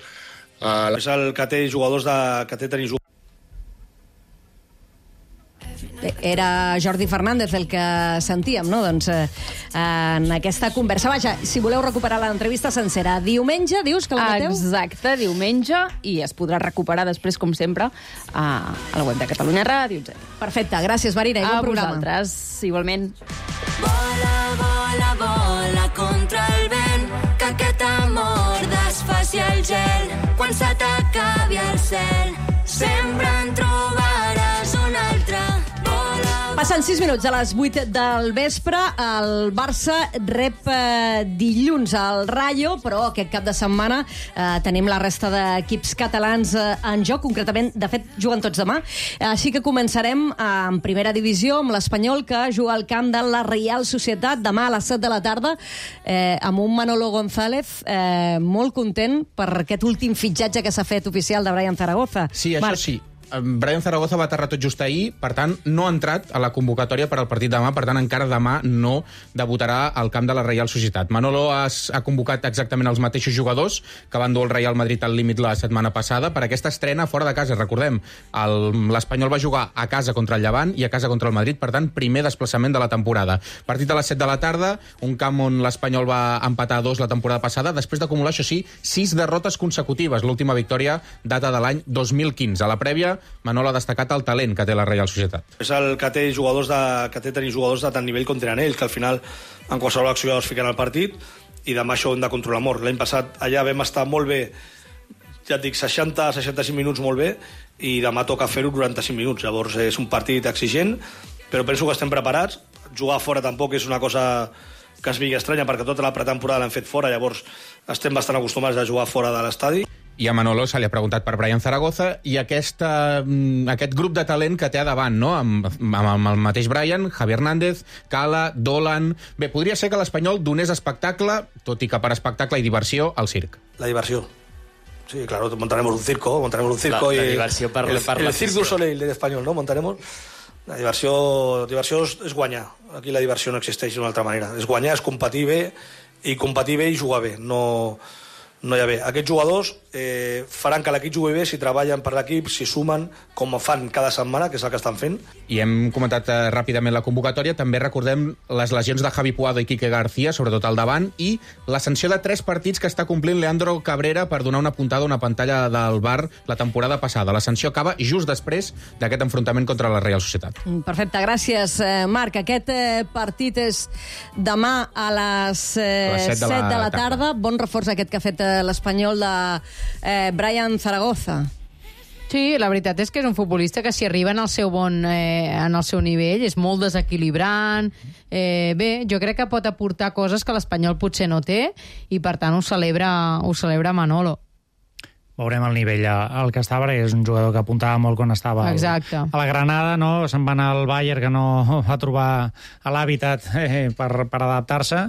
Uh, és el que té jugadors de... que té tenir jugadors. Era Jordi Fernández el que sentíem, no? Doncs eh, en aquesta conversa. Vaja, si voleu recuperar l'entrevista sencera, diumenge, dius que la mateu? Exacte, diumenge, i es podrà recuperar després, com sempre, a, a la web de Catalunya Ràdio. Perfecte, gràcies, Marina, i bon a programa. A vosaltres, igualment. Vola, vola, vola contra el vent, que aquest amor desfaci el gel. Quan se t'acabi el cel, sempre en trobaràs un altre. Passen sis minuts a les vuit del vespre. El Barça rep eh, dilluns al Rayo, però aquest cap de setmana eh, tenim la resta d'equips catalans eh, en joc. Concretament, de fet, juguen tots demà. Així que començarem eh, en primera divisió amb l'Espanyol, que juga al camp de la Real Societat demà a les set de la tarda, eh, amb un Manolo González eh, molt content per aquest últim fitxatge que s'ha fet oficial de Brian Zaragoza. Sí, això Marc. sí. Brian Zaragoza va aterrar tot just ahir, per tant, no ha entrat a la convocatòria per al partit demà, per tant, encara demà no debutarà al camp de la Real Societat. Manolo ha, ha convocat exactament els mateixos jugadors que van dur el Real Madrid al límit la setmana passada per aquesta estrena fora de casa. Recordem, l'Espanyol va jugar a casa contra el Llevant i a casa contra el Madrid, per tant, primer desplaçament de la temporada. Partit a les set de la tarda, un camp on l'Espanyol va empatar a dos la temporada passada, després d'acumular, això sí, sis derrotes consecutives. L'última victòria data de l'any dos mil quinze. A la prèvia, Manolo ha destacat el talent que té la Real Societat. És el que té jugadors de, que té tenir jugadors de tant nivell com tenen ells, que al final en qualsevol acció es fiquen al partit, i demà això ho hem de controlar molt. L'any passat allà vam estar molt bé, ja et dic, seixanta a seixanta-cinc minuts molt bé, i demà toca fer-ho quaranta-cinc minuts. Llavors és un partit exigent, però penso que estem preparats. Jugar fora tampoc és una cosa que es vingui estranya, perquè tota la pretemporada l'hem fet fora, llavors estem bastant acostumats a jugar fora de l'estadi. I a Manolo se li ha preguntat per Brian Zaragoza i aquesta, aquest grup de talent que té a davant, no? Amb, amb el mateix Brian, Javi Hernández, Cala, Dolan... Bé, podria ser que l'Espanyol donés espectacle, tot i que per espectacle i diversió, al circ. La diversió. Sí, claro, montaremos un circo, montaremos un circo. La, la y diversió per, el, per el la Cirque du Soleil en español, ¿no? Montaremos... La diversió, diversió és, és guanyar. Aquí la diversió no existeix d'una altra manera. És guanyar, és competir bé, i competir bé i jugar bé. No... no hi ha bé. Aquests jugadors eh, faran que l'equip jugui bé si treballen per l'equip, si sumen, com fan cada setmana, que és el que estan fent. I hem comentat eh, ràpidament la convocatòria. També recordem les lesions de Javi Puado i Quique García, sobretot al davant, i la sanció de tres partits que està complint Leandro Cabrera per donar una puntada a una pantalla del bar la temporada passada. La sanció acaba just després d'aquest enfrontament contra la Real Societat. Perfecte, gràcies, Marc. Aquest eh, partit és demà a les, eh, a les set de la, set de la tarda. tarda. Bon reforç aquest que ha fet l'espanyol de eh, Brian Zaragoza. Sí, la veritat és que és un futbolista que si arriba en el seu bon, eh, en el seu nivell, és molt desequilibrant. Eh, bé, jo crec que pot aportar coses que l'Espanyol potser no té i per tant ho celebra, ho celebra Manolo. Veurem el nivell al que estava, perquè és un jugador que apuntava molt quan estava al, Exacte. a la Granada, no? Se'n va anar al Bayern, que no va trobar a l'hàbitat eh, per, per adaptar-se,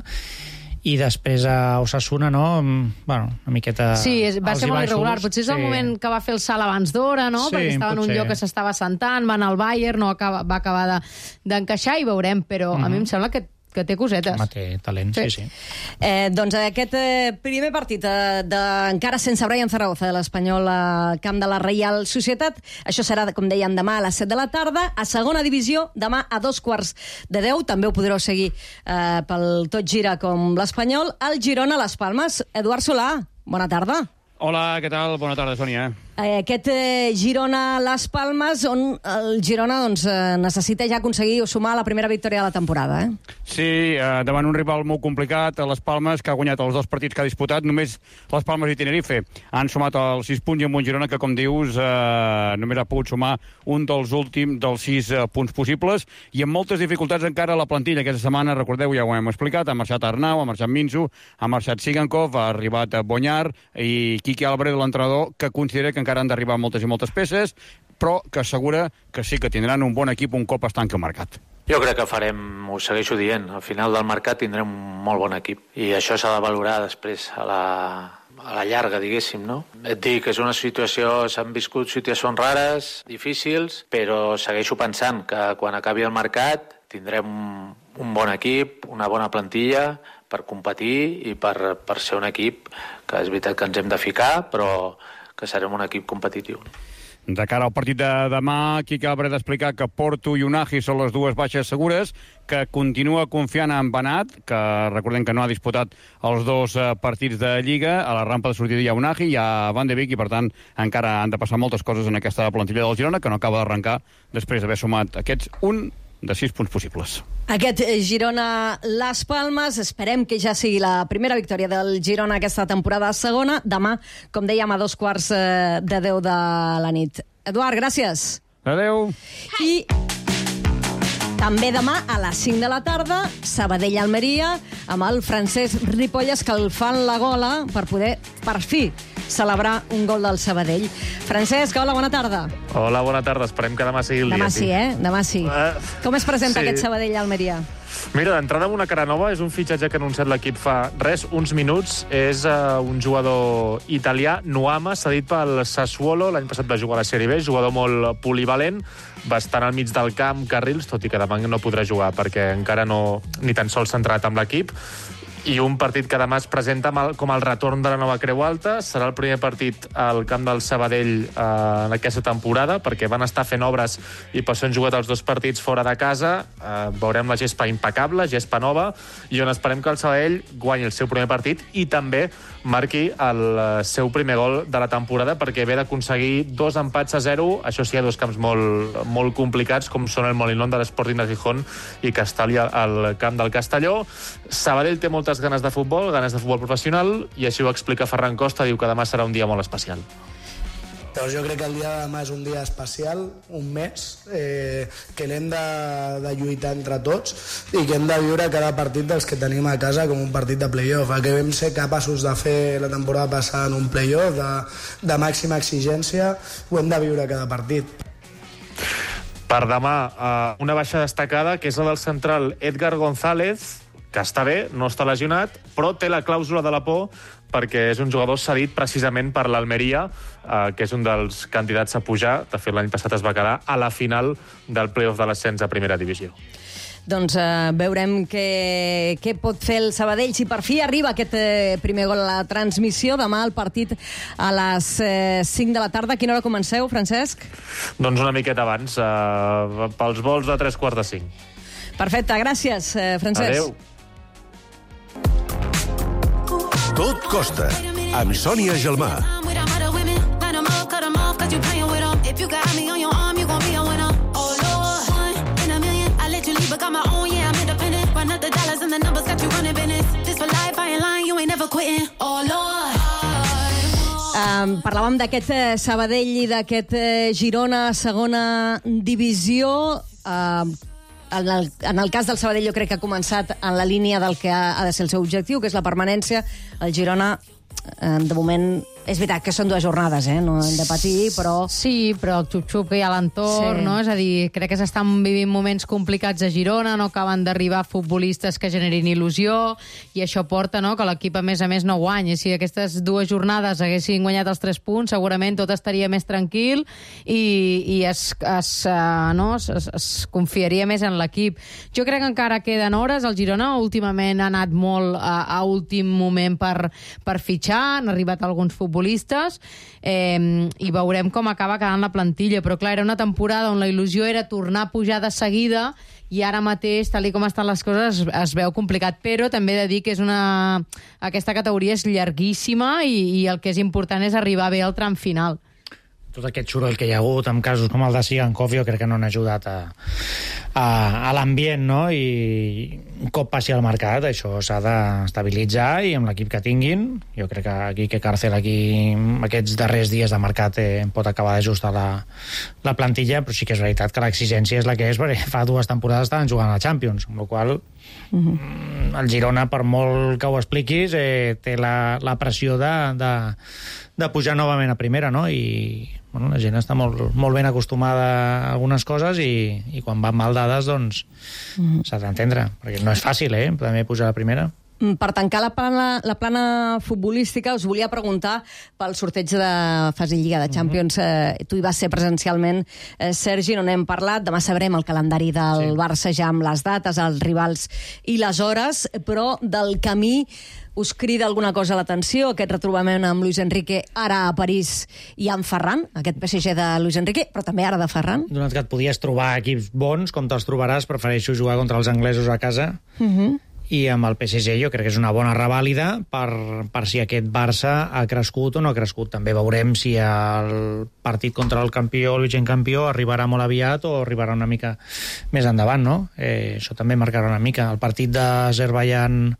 i després a Osasuna, no? Bueno, una miqueta... Sí, és, va ser molt irregular. Potser és el sí. moment que va fer el salt abans d'hora, no? Sí, perquè estava en un potser. lloc que s'estava sentant, va anar al Bayern, no acaba, va acabar d'encaixar de, i veurem, però mm-hmm. a mi em sembla que que té cosetes. Home, té talent, sí, sí. sí. Eh, doncs aquest eh, primer partit eh, de, encara sense Brian Zaragoza de l'Espanyol al camp de la Reial Societat, això serà, com deien, demà a les set de la tarda. A segona divisió, demà a dos quarts de deu, també ho podreu seguir eh, pel Tot Gira com l'Espanyol, el Girona Las Palmes. Eduard Solà, bona tarda. Hola, què tal? Bona tarda, Sònia. Eh, aquest eh, Girona Las Palmes, on el Girona doncs, eh, necessita ja aconseguir o sumar la primera victòria de la temporada, eh? Sí, eh, davant un rival molt complicat, a Les Palmes, que ha guanyat els dos partits que ha disputat, només Les Palmes i Tenerife han sumat els sis punts i amb un Girona que, com dius, eh, només ha pogut sumar un dels últims dels sis eh, punts possibles, i amb moltes dificultats encara a la plantilla. Aquesta setmana, recordeu, ja ho hem explicat, ha marxat Arnau, ha marxat Minzu, ha marxat Sigankov, ha arribat Bonyar i Quique Álvarez, l'entrenador, que considera que encara han d'arribar moltes i moltes peces, però que assegura que sí que tindran un bon equip un cop es tanqui el mercat. Jo crec que farem, ho segueixo dient, al final del mercat tindrem un molt bon equip i això s'ha de valorar després a la, a la llarga, diguéssim, no? Et dic que és una situació, s'han viscut situacions rares, difícils, però segueixo pensant que quan acabi el mercat tindrem un, un bon equip, una bona plantilla per competir i per, per ser un equip que és veritat que ens hem de ficar, però que serem un equip competitiu. De cara al partit de demà, Quique Álvarez ha explicat que Porto i Unai són les dues baixes segures, que continua confiant en Benat, que recordem que no ha disputat els dos partits de Lliga. A la rampa de sortida hi ha Unai, hi ha Van de Beek, i per tant encara han de passar moltes coses en aquesta plantilla del Girona, que no acaba d'arrencar després d'haver sumat aquests un de sis punts possibles. Aquest Girona Las Palmes, esperem que ja sigui la primera victòria del Girona aquesta temporada segona. Demà, com dèiem, a dos quarts de deu de la nit. Eduard, gràcies. Adéu. I també demà a les cinc de la tarda, Sabadell-Almeria, amb el Francesc Ripolles, que el fan la gola per poder, per fi, celebrar un gol del Sabadell. Francesc, hola, bona tarda. Hola, bona tarda. Esperem que demà sigui el demà dia. Sí, eh? Demà sí. Uh, Com es presenta sí. aquest Sabadell-Almeria? Mira, d'entrada amb una cara nova, és un fitxatge que ha anunciat l'equip fa res, uns minuts. És uh, un jugador italià, Nuama, cedit pel Sassuolo. L'any passat va jugar a la Sèrie B, jugador molt polivalent, bastant al mig del camp, carrils, tot i que demà no podrà jugar perquè encara no ni tan sols s'ha entrat amb l'equip. I un partit que demà es presenta com el retorn de la nova Creu Alta. Serà el primer partit al camp del Sabadell eh, en aquesta temporada, perquè van estar fent obres i per això han jugat els dos partits fora de casa. Eh, veurem la gespa impecable, gespa nova, i on esperem que el Sabadell guanyi el seu primer partit i també marqui el seu primer gol de la temporada, perquè ve d'aconseguir dos empats a zero, això sí, a dos camps molt, molt complicats, com són el Molinón de l'Sporting de Gijón i Castelli al camp del Castelló. Sabadell té moltes ganes de futbol, ganes de futbol professional, i així ho explica Ferran Costa, diu que demà serà un dia molt especial. Llavors jo crec que el dia de demà és un dia especial, un mes, eh, que l'hem de, de lluitar entre tots i que hem de viure cada partit dels que tenim a casa com un partit de play-off. El que vam ser capaços de fer la temporada passada en un play-off de, de màxima exigència, ho hem de viure cada partit. Per demà, una baixa destacada, que és la del central Edgar González, que està bé, no està lesionat, però té la clàusula de la por perquè és un jugador cedit precisament per l'Almeria, eh, que és un dels candidats a pujar. De fet, l'any passat es va quedar a la final del play-off de l'ascens a primera divisió. Doncs eh, veurem què, què pot fer el Sabadell. Si per fi arriba aquest eh, primer gol a la transmissió, demà el partit a les eh, cinc de la tarda. A quina hora comenceu, Francesc? Doncs una miqueta abans, eh, pels vols de tres quarts de cinc. Perfecte, gràcies, eh, Francesc. Adéu. Tot costa, amb Sònia Gelmà. Um, parlàvem d'aquest eh, Sabadell i d'aquest eh, Girona, segona divisió. Uh, En el, en el cas del Sabadell jo crec que ha començat en la línia del que ha, ha de ser el seu objectiu, que és la permanència. El Girona, eh, de moment, és veritat que són dues jornades, eh? No hem de patir, però... Sí, però el xup-xup que hi ha a l'entorn, sí. No? És a dir, crec que s'estan vivint moments complicats a Girona, no acaben d'arribar futbolistes que generin il·lusió, i això porta, no?, que l'equip, a més a més, no guanyi. Si aquestes dues jornades haguessin guanyat els tres punts, segurament tot estaria més tranquil i, i es, es, uh, no? es, es confiaria més en l'equip. Jo crec que encara queden hores. El Girona últimament ha anat molt a, a últim moment per, per fitxar, han arribat alguns futbolistes futbolistes eh, i veurem com acaba quedant la plantilla, però clar, era una temporada on la il·lusió era tornar a pujar de seguida i ara mateix, tal com estan les coses, es, es veu complicat, però també he de dir que és una... aquesta categoria és llarguíssima i, i el que és important és arribar bé al tram final. Tot aquest soroll que hi ha hagut amb casos com el de Sigankov jo crec que no han ajudat a, a, a l'ambient, no? I un cop passi al mercat això s'ha d'estabilitzar i amb l'equip que tinguin, jo crec que aquí que Càrcel aquí aquests darrers dies de mercat eh, pot acabar d'ajustar la, la plantilla, però sí que és veritat que l'exigència és la que és, perquè fa dues temporades estaven jugant a la Champions, amb la qual uh-huh. el Girona, per molt que ho expliquis, eh, té la, la pressió de, de, de pujar novament a primera, no? I bueno, la gent està molt, molt ben acostumada a algunes coses i, i quan van mal dades, doncs mm. s'ha d'entendre, perquè no és fàcil, eh, també pujar a la primera. Per tancar la plana, la plana futbolística, us volia preguntar pel sorteig de fase Lliga de Champions. Mm-hmm. Eh, tu hi vas ser presencialment, eh, Sergi, no n'hem parlat. Demà sabrem el calendari del sí. Barça ja amb les dates, els rivals i les hores, però del camí us crida alguna cosa a l'atenció, aquest retrobament amb Luis Enrique, ara a París i amb Ferran, aquest P S G de Luis Enrique, però també ara de Ferran? Donat que et podies trobar equips bons, com te'ls trobaràs, prefereixo jugar contra els anglesos a casa. Mm-hmm. I amb el P S G jo crec que és una bona revàlida per, per si aquest Barça ha crescut o no ha crescut. També veurem si el partit contra el campió, el vigent campió, arribarà molt aviat o arribarà una mica més endavant, no? Eh, això també marcarà una mica. El partit d'Azerbaidjan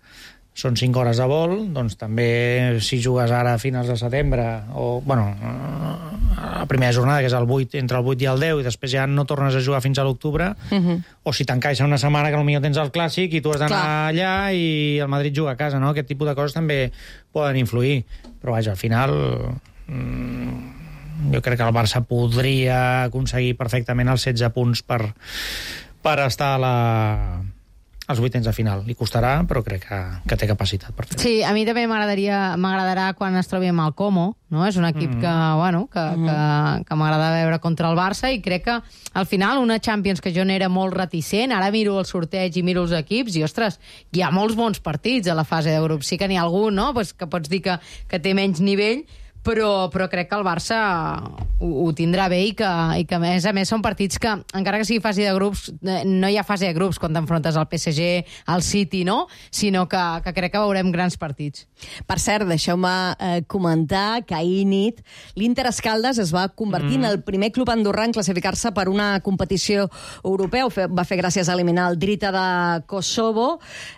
són cinc hores de vol, doncs també si jugues ara a finals de setembre o, bueno, a la primera jornada, que és el vuit, entre el vuit i el deu, i després ja no tornes a jugar fins a l'octubre, uh-huh. o si t'encaixa una setmana que potser tens el Clàssic i tu has d'anar allà i el Madrid juga a casa, no? Aquest tipus de coses també poden influir, però vaja, al final mmm, jo crec que el Barça podria aconseguir perfectament els setze punts per, per estar a la... als vuitens de final. Li costarà, però crec que, que té capacitat per fer-ho. Sí, a mi també m'agradaria m'agradarà quan es trobi amb el Como, no? És un equip mm. que, bueno, que, mm. que, que m'agrada veure contra el Barça i crec que al final una Champions que jo n'era molt reticent, ara miro el sorteig i miro els equips i, ostres, hi ha molts bons partits a la fase de grups. Sí que n'hi ha algun, no?, pues que pots dir que, que té menys nivell, però, però crec que el Barça ho, ho tindrà bé i que, i que a més a més són partits que, encara que sigui fase de grups, no hi ha fase de grups quan t'enfrontes al P S G, al City, no? Sinó que, que crec que veurem grans partits. Per cert, deixeu-me eh, comentar que ahir nit l'Inter Escaldes es va convertir mm. en el primer club andorrà en classificar-se per una competició europea. Ho fe, va fer gràcies a eliminar el Drita de Kosovo.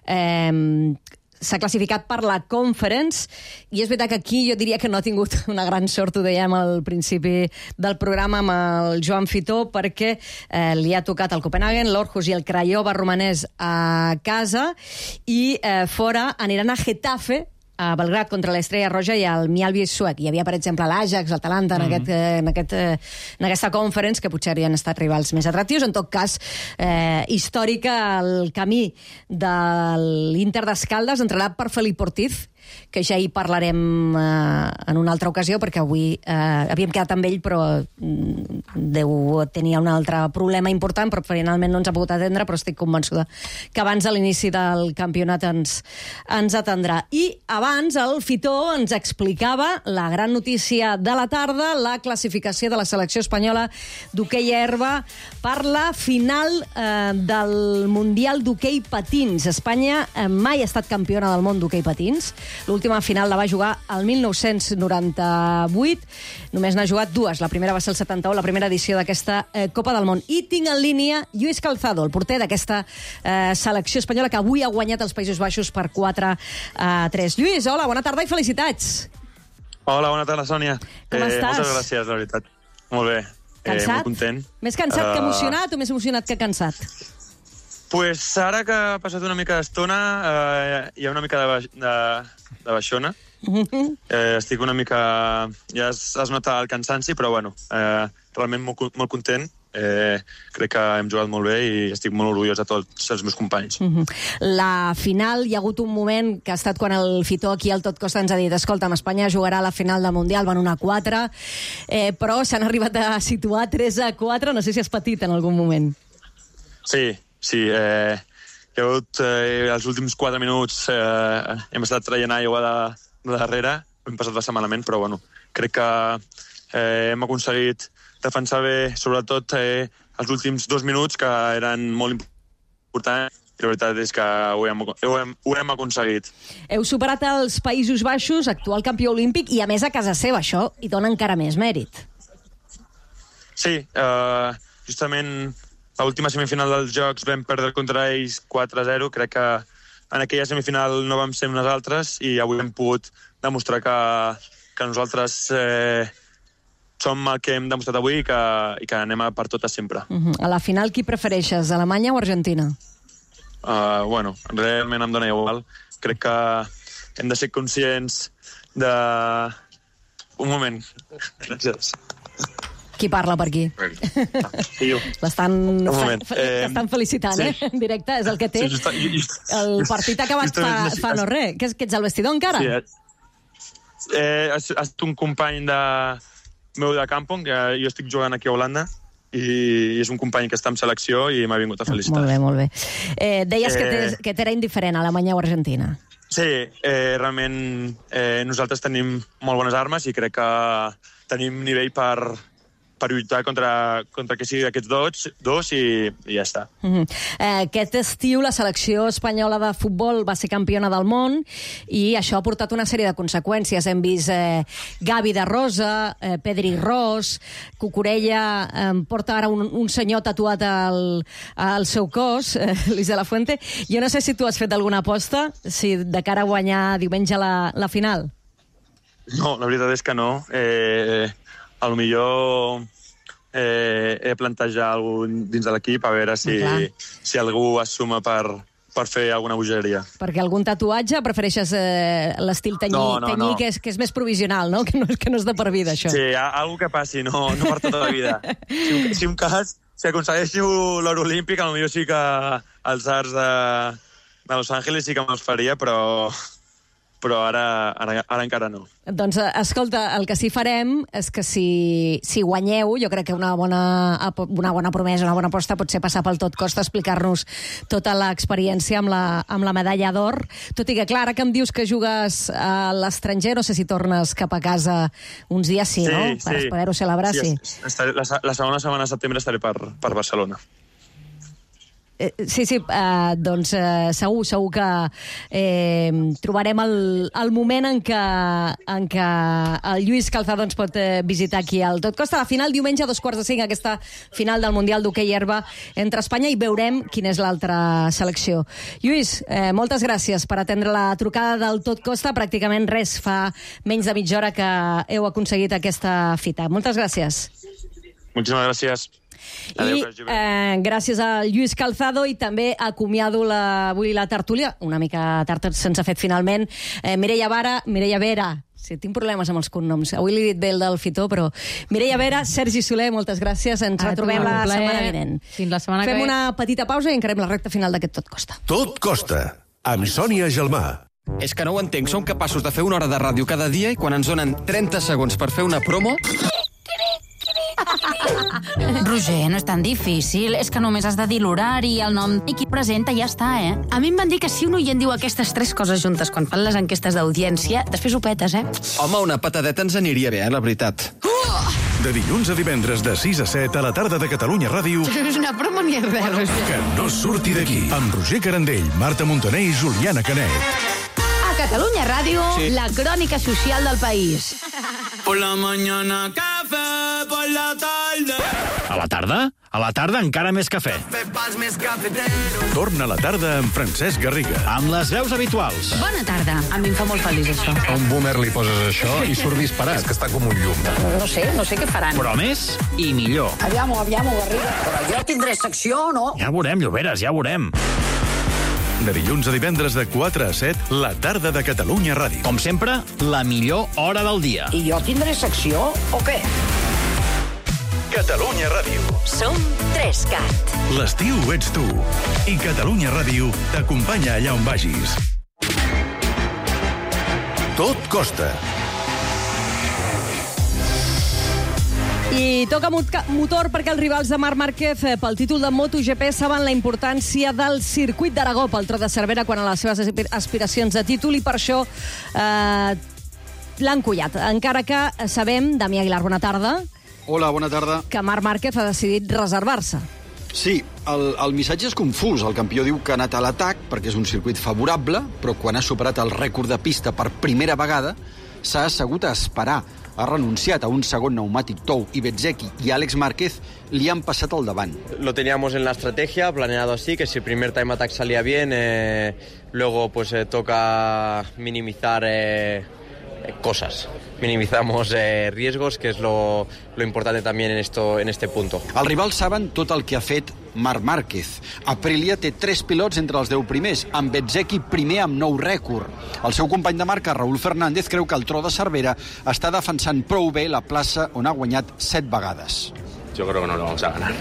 Eh, s'ha classificat per la Conference, i és veritat que aquí jo diria que no ha tingut una gran sort, ho dèiem al principi del programa amb el Joan Fitó, perquè eh, li ha tocat el Copenhagen, l'Orhus i el Craiova romanès a casa, i eh, fora aniran a Getafe, a Belgrad contra l'Estrella Roja i el Mjällby suec. Hi havia, per exemple, l'Ajax, l'Atalanta, en, mm. aquest, en, aquest, en aquesta conference, que potser havien estat rivals més atractius. En tot cas, eh, històrica el camí de l'Inter d'Escaldes, entrenat per Felip Ortiz, que ja hi parlarem eh, en una altra ocasió, perquè avui eh, havíem quedat amb ell, però deu tenir un altre problema important, però finalment no ens ha pogut atendre, però estic convençuda que abans de l'inici del campionat ens, ens atendrà. I abans el Fitó ens explicava la gran notícia de la tarda, la classificació de la selecció espanyola d'hoquei herba per la final eh, del Mundial d'hoquei patins. Espanya eh, mai ha estat campiona del món d'hoquei patins. L'última final la va jugar al mil nou-cents noranta-vuit. Només n'ha jugat dues. La primera va ser el setanta-u, la primera edició d'aquesta eh, Copa del Món. I tinc en línia Lluís Calzado, el porter d'aquesta eh, selecció espanyola, que avui ha guanyat els Països Baixos per quatre a tres. Lluís, hola, bona tarda i felicitats. Hola, bona tarda, Sònia. Com eh, estàs? Moltes gràcies, la veritat. Molt bé. Cansat? Eh, molt content. Més cansat uh... que emocionat o més emocionat que cansat? Pues ara que ha passat una mica d'estona, eh, hi ha una mica de, baix, de, de baixona. Eh, estic una mica... Ja es, es nota el cansanci, però bueno, eh, realment molt, molt content. Eh, crec que hem jugat molt bé i estic molt orgullós de tots els meus companys. Uh-huh. La final, hi ha hagut un moment que ha estat quan el Fitó aquí al Tot Costa ens ha dit: escolta, Espanya jugarà a la final del Mundial, van una a quatre, eh, però s'han arribat a situar tres a quatre, no sé si has patit en algun moment. Sí, sí, eh, hi ha hagut eh, els últims quatre minuts, eh, hem estat traient aigua de, de darrere, hem passat bastant malament, però bueno, crec que eh, hem aconseguit defensar bé, sobretot eh, els últims dos minuts, que eren molt importants, i la veritat és que ho hem, ho hem, ho hem aconseguit. Heu superat els Països Baixos, actual campió olímpic, i a més a casa seva, això hi dona encara més mèrit. Sí, eh, justament l'última semifinal dels Jocs vam perdre contra ells quatre a zero, crec que en aquella semifinal no vam ser nosaltres i avui hem pogut demostrar que, que nosaltres eh, som el que hem demostrat avui i que, i que anem a per totes sempre. Uh-huh. A la final, qui prefereixes, Alemanya o Argentina? Uh, bueno, realment em dona igual. Crec que hem de ser conscients de... Un moment. Gràcies. Qui parla per aquí? Sí, jo. L'estan moment. fe, eh, felicitant, sí. eh? En directe, és el que té. Sí, just, just, el partit ha acabat fa, fa no res. Que, que ets al vestidor encara? Sí, eh, ha estat un company de... meu de Kampong, que jo estic jugant aquí a Holanda, i és un company que està en selecció i m'ha vingut a felicitar. Molt bé, molt bé. Eh, deies eh... que t'era indiferent Alemanya o Argentina. Sí, eh, realment eh, nosaltres tenim molt bones armes i crec que tenim nivell per, per lluitar contra, contra que sigui d'aquests dos, dos i, i ja està. Uh-huh. eh, aquest estiu la selecció espanyola de futbol va ser campiona del món i això ha portat una sèrie de conseqüències. Hem vist eh, Gavi de Rosa, eh, Pedri Ros, Cucurella eh, porta ara un, un senyor tatuat al, al seu cos, eh, Luis de la Fuente. Jo no sé si tu has fet alguna aposta, si de cara a guanyar diumenge la, la final. No, la veritat és que no. Eh, a lo millor eh, he plantejat algun dins de l'equip a veure si, si algú es suma per, per fer alguna bogeria. Perquè algun tatuatge prefereixes eh, l'estil tenyí, no, no, tenyí no. Que, és, que és més provisional, no? Que no, que no és de per vida, això. Sí, algo que passi, no, no per tota la vida. Si un, si un cas, si aconsegueixo l'or olímpic, potser sí que els arts de, de Los Angeles sí que me'ls faria, però... però ara, ara, ara encara no. Doncs, escolta, el que sí farem és que si, si guanyeu, jo crec que una bona, una bona promesa, una bona aposta pot ser passar pel Tot Costa, explicar-nos tota l'experiència amb la, amb la medalla d'or. Tot i que, clar, ara que em dius que jugues a l'estranger, no sé si tornes cap a casa uns dies, sí, sí no? Per sí. poder-ho celebrar, sí. sí. Estaré, la, la segona setmana de setembre estaré per, per Barcelona. eh, sí, sí, eh, doncs eh, segur, segur que eh, trobarem el, el moment en què, en què el Lluís Calzado ens pot eh, visitar aquí al Tot Costa. La final diumenge a dos quarts de cinc, aquesta final del Mundial d'Hoquei Herba entre Espanya, i veurem quina és l'altra selecció. Lluís, eh, moltes gràcies per atendre la trucada del Tot Costa. Pràcticament res, fa menys de mitja hora que heu aconseguit aquesta fita. Moltes gràcies. Muchísimas gracias. I eh, gràcies a Lluís Calzado, i també acomiado la, avui la tertúlia, una mica tard se'ns ha fet finalment, eh, Mireia Vara, Mireia Vera, sí, tinc problemes amb els cognoms, avui li he dit bé el del Fitó, però Mireia Vera, Sergi Soler, moltes gràcies, ens Ara retrobem la ple. setmana vinent. Fins la setmana Fem que ve. una petita pausa i encarem la recta final d'aquest Tot Costa. Tot Costa, amb Sònia Gelmà. És que no ho entenc, som capaços de fer una hora de ràdio cada dia i quan ens donen trenta segons per fer una promo... Roger, no és tan difícil. És que només has de dir l'horari, el nom i qui presenta, ja està, eh? A mi em van dir que si un oient diu aquestes tres coses juntes quan fan les enquestes d'audiència, després ho petes, eh? Home, una patadeta ens aniria bé, eh, la veritat. De dilluns a divendres de sis a set a la tarda de Catalunya Ràdio. No és una broma ni res, Roger. Que no surti d'aquí. Amb Roger Carandell, Marta Montaner i Juliana Canet. A Catalunya Ràdio, sí. La crònica social del país. Por la mañana café, por la tarde. A la tarda? A la tarda encara més cafè. Torna a la tarda amb Francesc Garriga. Amb les veus habituals. Bona tarda. A mi em fa molt feliç, això. A un boomer li poses això i surt disparat. És que està com un llum. No sé, no sé què faran. Però més i millor. Aviam-ho, aviam-ho, Garriga. Però jo tindré secció, no? Ja veurem, Lloberes, ja veurem. De dilluns a divendres de quatre a set, la tarda de Catalunya Ràdio. Com sempre, la millor hora del dia. I jo tindré secció o què? Catalunya Ràdio. Som Trescat. L'estiu ets tu. I Catalunya Ràdio t'acompanya allà on vagis. Tot costa. I toca motor perquè els rivals de Marc Márquez pel títol de MotoGP saben la importància del circuit d'Aragó pel Trot de Cervera quan a les seves aspiracions de títol, i per això eh, l'han collat. Encara que sabem, Damià Aguilar, bona tarda. Hola, bona tarda. Que Marc Márquez ha decidit reservar-se. Sí, el, el missatge és confús. El campió diu que ha anat a l'atac perquè és un circuit favorable, però quan ha superat el rècord de pista per primera vegada s'ha assegut a esperar. Ha renunciat a un segon pneumàtic tou i Bezzecchi i Àlex Márquez li han passat al davant. Lo teníamos en la estrategia, planeado así, que si el primer time attack salía bien, eh, luego pues eh, toca minimizar eh, cosas. Minimizamos eh, riesgos, que es lo, lo importante también en, esto, en este punto. Els rivals saben tot el que ha fet Marc Márquez. Aprilia té tres pilots entre els deu primers, amb Bezzecchi primer amb nou rècord. El seu company de marca, Raúl Fernández, creu que el Trot de Cervera està defensant prou bé la plaça on ha guanyat set vegades. Yo creo que no lo vamos a ganar,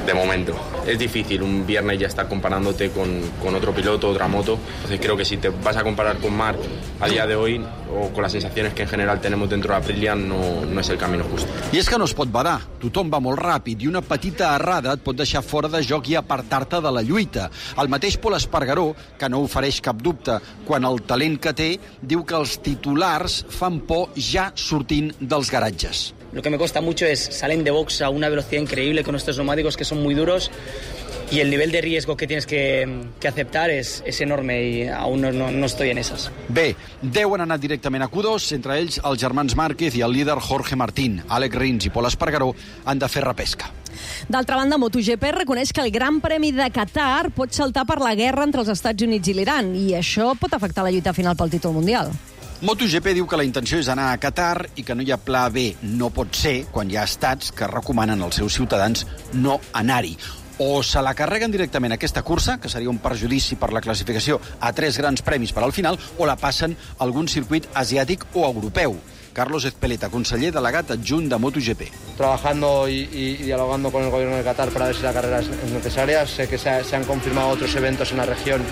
de momento. Es difícil, un viernes ya estar comparándote con, con otro piloto, otra moto. Entonces creo que si te vas a comparar con Marc a día de hoy, o con las sensaciones que en general tenemos dentro de Aprilia, no, no es el camino justo. I és que no es pot badar. Tothom va molt ràpid i una petita errada et pot deixar fora de joc i apartar-te de la lluita. El mateix Pol Espargaró, que no ofereix cap dubte quan el talent que té, diu que els titulars fan por ja sortint dels garatges. Lo que me cuesta mucho es salen de box a una velocidad increíble con estos neumáticos que son muy duros y el nivel de riesgo que tienes que, que aceptar es, es enorme y aún no, no, no estoy en esas. Bé, deu han anat directament a Q dos, entre ells els germans Márquez i el líder Jorge Martín. Àlex Rins i Pol Espargaró han de fer repesca. D'altra banda, MotoGP reconeix que el Gran Premi de Qatar pot saltar per la guerra entre els Estats Units i l'Iran, i això pot afectar la lluita final pel títol mundial. MotoGP diu que la intenció és anar a Qatar i que no hi ha pla B. No pot ser quan hi ha estats que recomanen als seus ciutadans no anar-hi. O se la carreguen directament aquesta cursa, que seria un perjudici per la classificació a tres grans premis per al final, o la passen a algun circuit asiàtic o europeu. Carlos Ezpeleta, conseller delegat adjunt de MotoGP. Trabajando y, y dialogando con el gobierno de Qatar para ver si la carrera es necesaria. Sé que se, ha, se han confirmado otros eventos en la región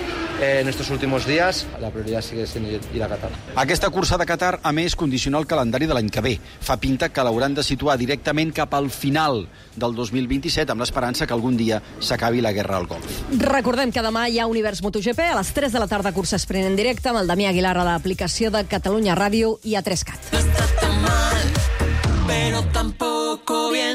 eh, en estos últimos días. La prioridad sigue siendo ir a Qatar. Aquesta cursa de Qatar, a més, condiciona el calendari de l'any que ve. Fa pinta que l'hauran de situar directament cap al final del dos mil vint-i-set, amb l'esperança que algun dia s'acabi la guerra al Golf. Recordem que demà hi ha Univers MotoGP a les tres de la tarda, cursa sprint en directe amb el Damià Aguilar a l'aplicació de Catalunya Ràdio i a Trescat. Pero tampoco bien.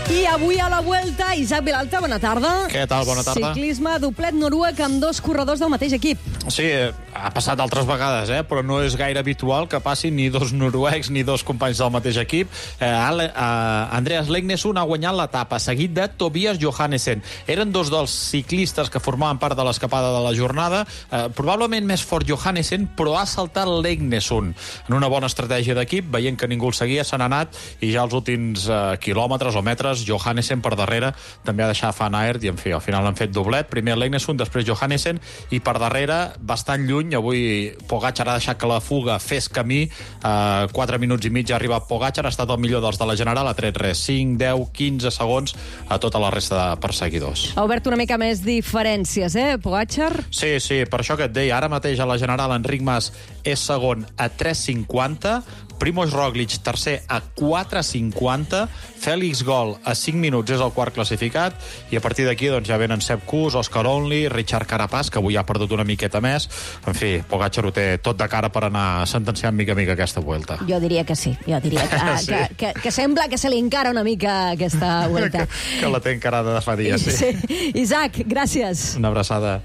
I avui a la Vuelta, Isaac Vilalta, bona tarda. Què tal? Bona tarda. Ciclisme, doblet noruec amb dos corredors del mateix equip. Sí, ha passat altres vegades, eh? Però no és gaire habitual que passin ni dos noruecs ni dos companys del mateix equip. Eh, Ale, eh, Andreas Legnesund ha guanyat l'etapa, seguit de Tobias Johannesen. Eren dos dels ciclistes que formaven part de l'escapada de la jornada. Eh, probablement més fort Johannesen, però ha saltat Legnesund. En una bona estratègia d'equip, veient que ningú el seguia, s'han anat i ja els últims eh, quilòmetres o metres, Johannesen per darrere també ha deixat Van Aert i, en fi, al final han fet doblet. Primer Legnesund, després Johannesen, i per darrere, bastant lluny, avui Pogačar ha deixat que la fuga fes camí. Eh, quatre minuts i mig ha arribat Pogačar, ha estat el millor dels de la General, ha tret res, cinc, deu, quinze segons a tota la resta de perseguidors. Ha obert una mica més diferències, eh, Pogačar? Sí, sí, per això que et deia, ara mateix a la General Enric Mas és segon a tres cinquanta, Primož Roglič tercer a quatre cinquanta, Félix Gol a cinc minuts és el quart classificat, i a partir d'aquí doncs, ja venen Sepp Kuss, Oscar Only, Richard Carapaz, que avui ha perdut una miqueta més. En fi, Pogačar ho té tot de cara per anar sentenciant mica a mica aquesta Vuelta. Jo diria que sí, jo diria que, sí. que, que, que sembla que se li encara una mica aquesta Vuelta. que, que la té encarada de fa dies, sí. sí. Isaac, gràcies. Una abraçada.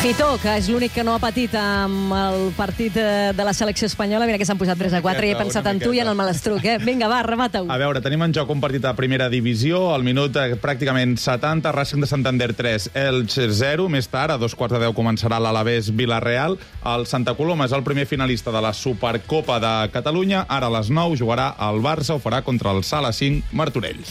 Fito, que és l'únic que no ha patit amb el partit de la selecció espanyola. Mira que s'han posat tres a quatre i he pensat en tu i en el Malastruc, eh? Vinga, va, remata-ho. A veure, tenim en joc un partit a primera divisió, al minut pràcticament setanta, Racing de Santander tres, Elche zero, més tard, a dos quarts de deu començarà l'Alavés Villarreal. El Santa Coloma és el primer finalista de la Supercopa de Catalunya, ara a les nou jugarà el Barça, ho farà contra el Sala cinc Martorell.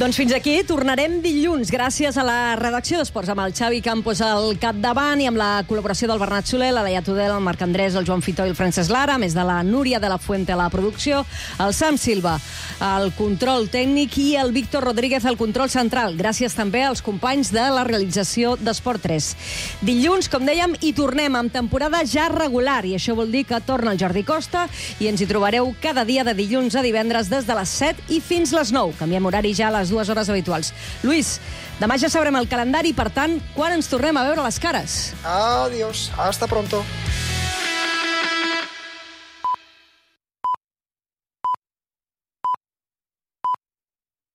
Doncs fins aquí, tornarem dilluns, gràcies a la redacció d'Esports, amb el Xavi Campos al capdavant i amb la col·laboració del Bernat Soler, la Laia Tudel, el Marc Andrés, el Joan Fitó i el Francesc Lara, a més de la Núria de la Fuente a la producció, el Sam Silva, el control tècnic i el Víctor Rodríguez al control central. Gràcies també als companys de la realització d'Esport tres. Dilluns, com dèiem, hi tornem amb temporada ja regular, i això vol dir que torna el Jordi Costa i ens hi trobareu cada dia de dilluns a divendres des de les set i fins les nou. Canviem horari ja a les dues hores habituals. Lluís, demà ja sabrem el calendari, per tant, quan ens tornem a veure les cares? Adiós, hasta pronto.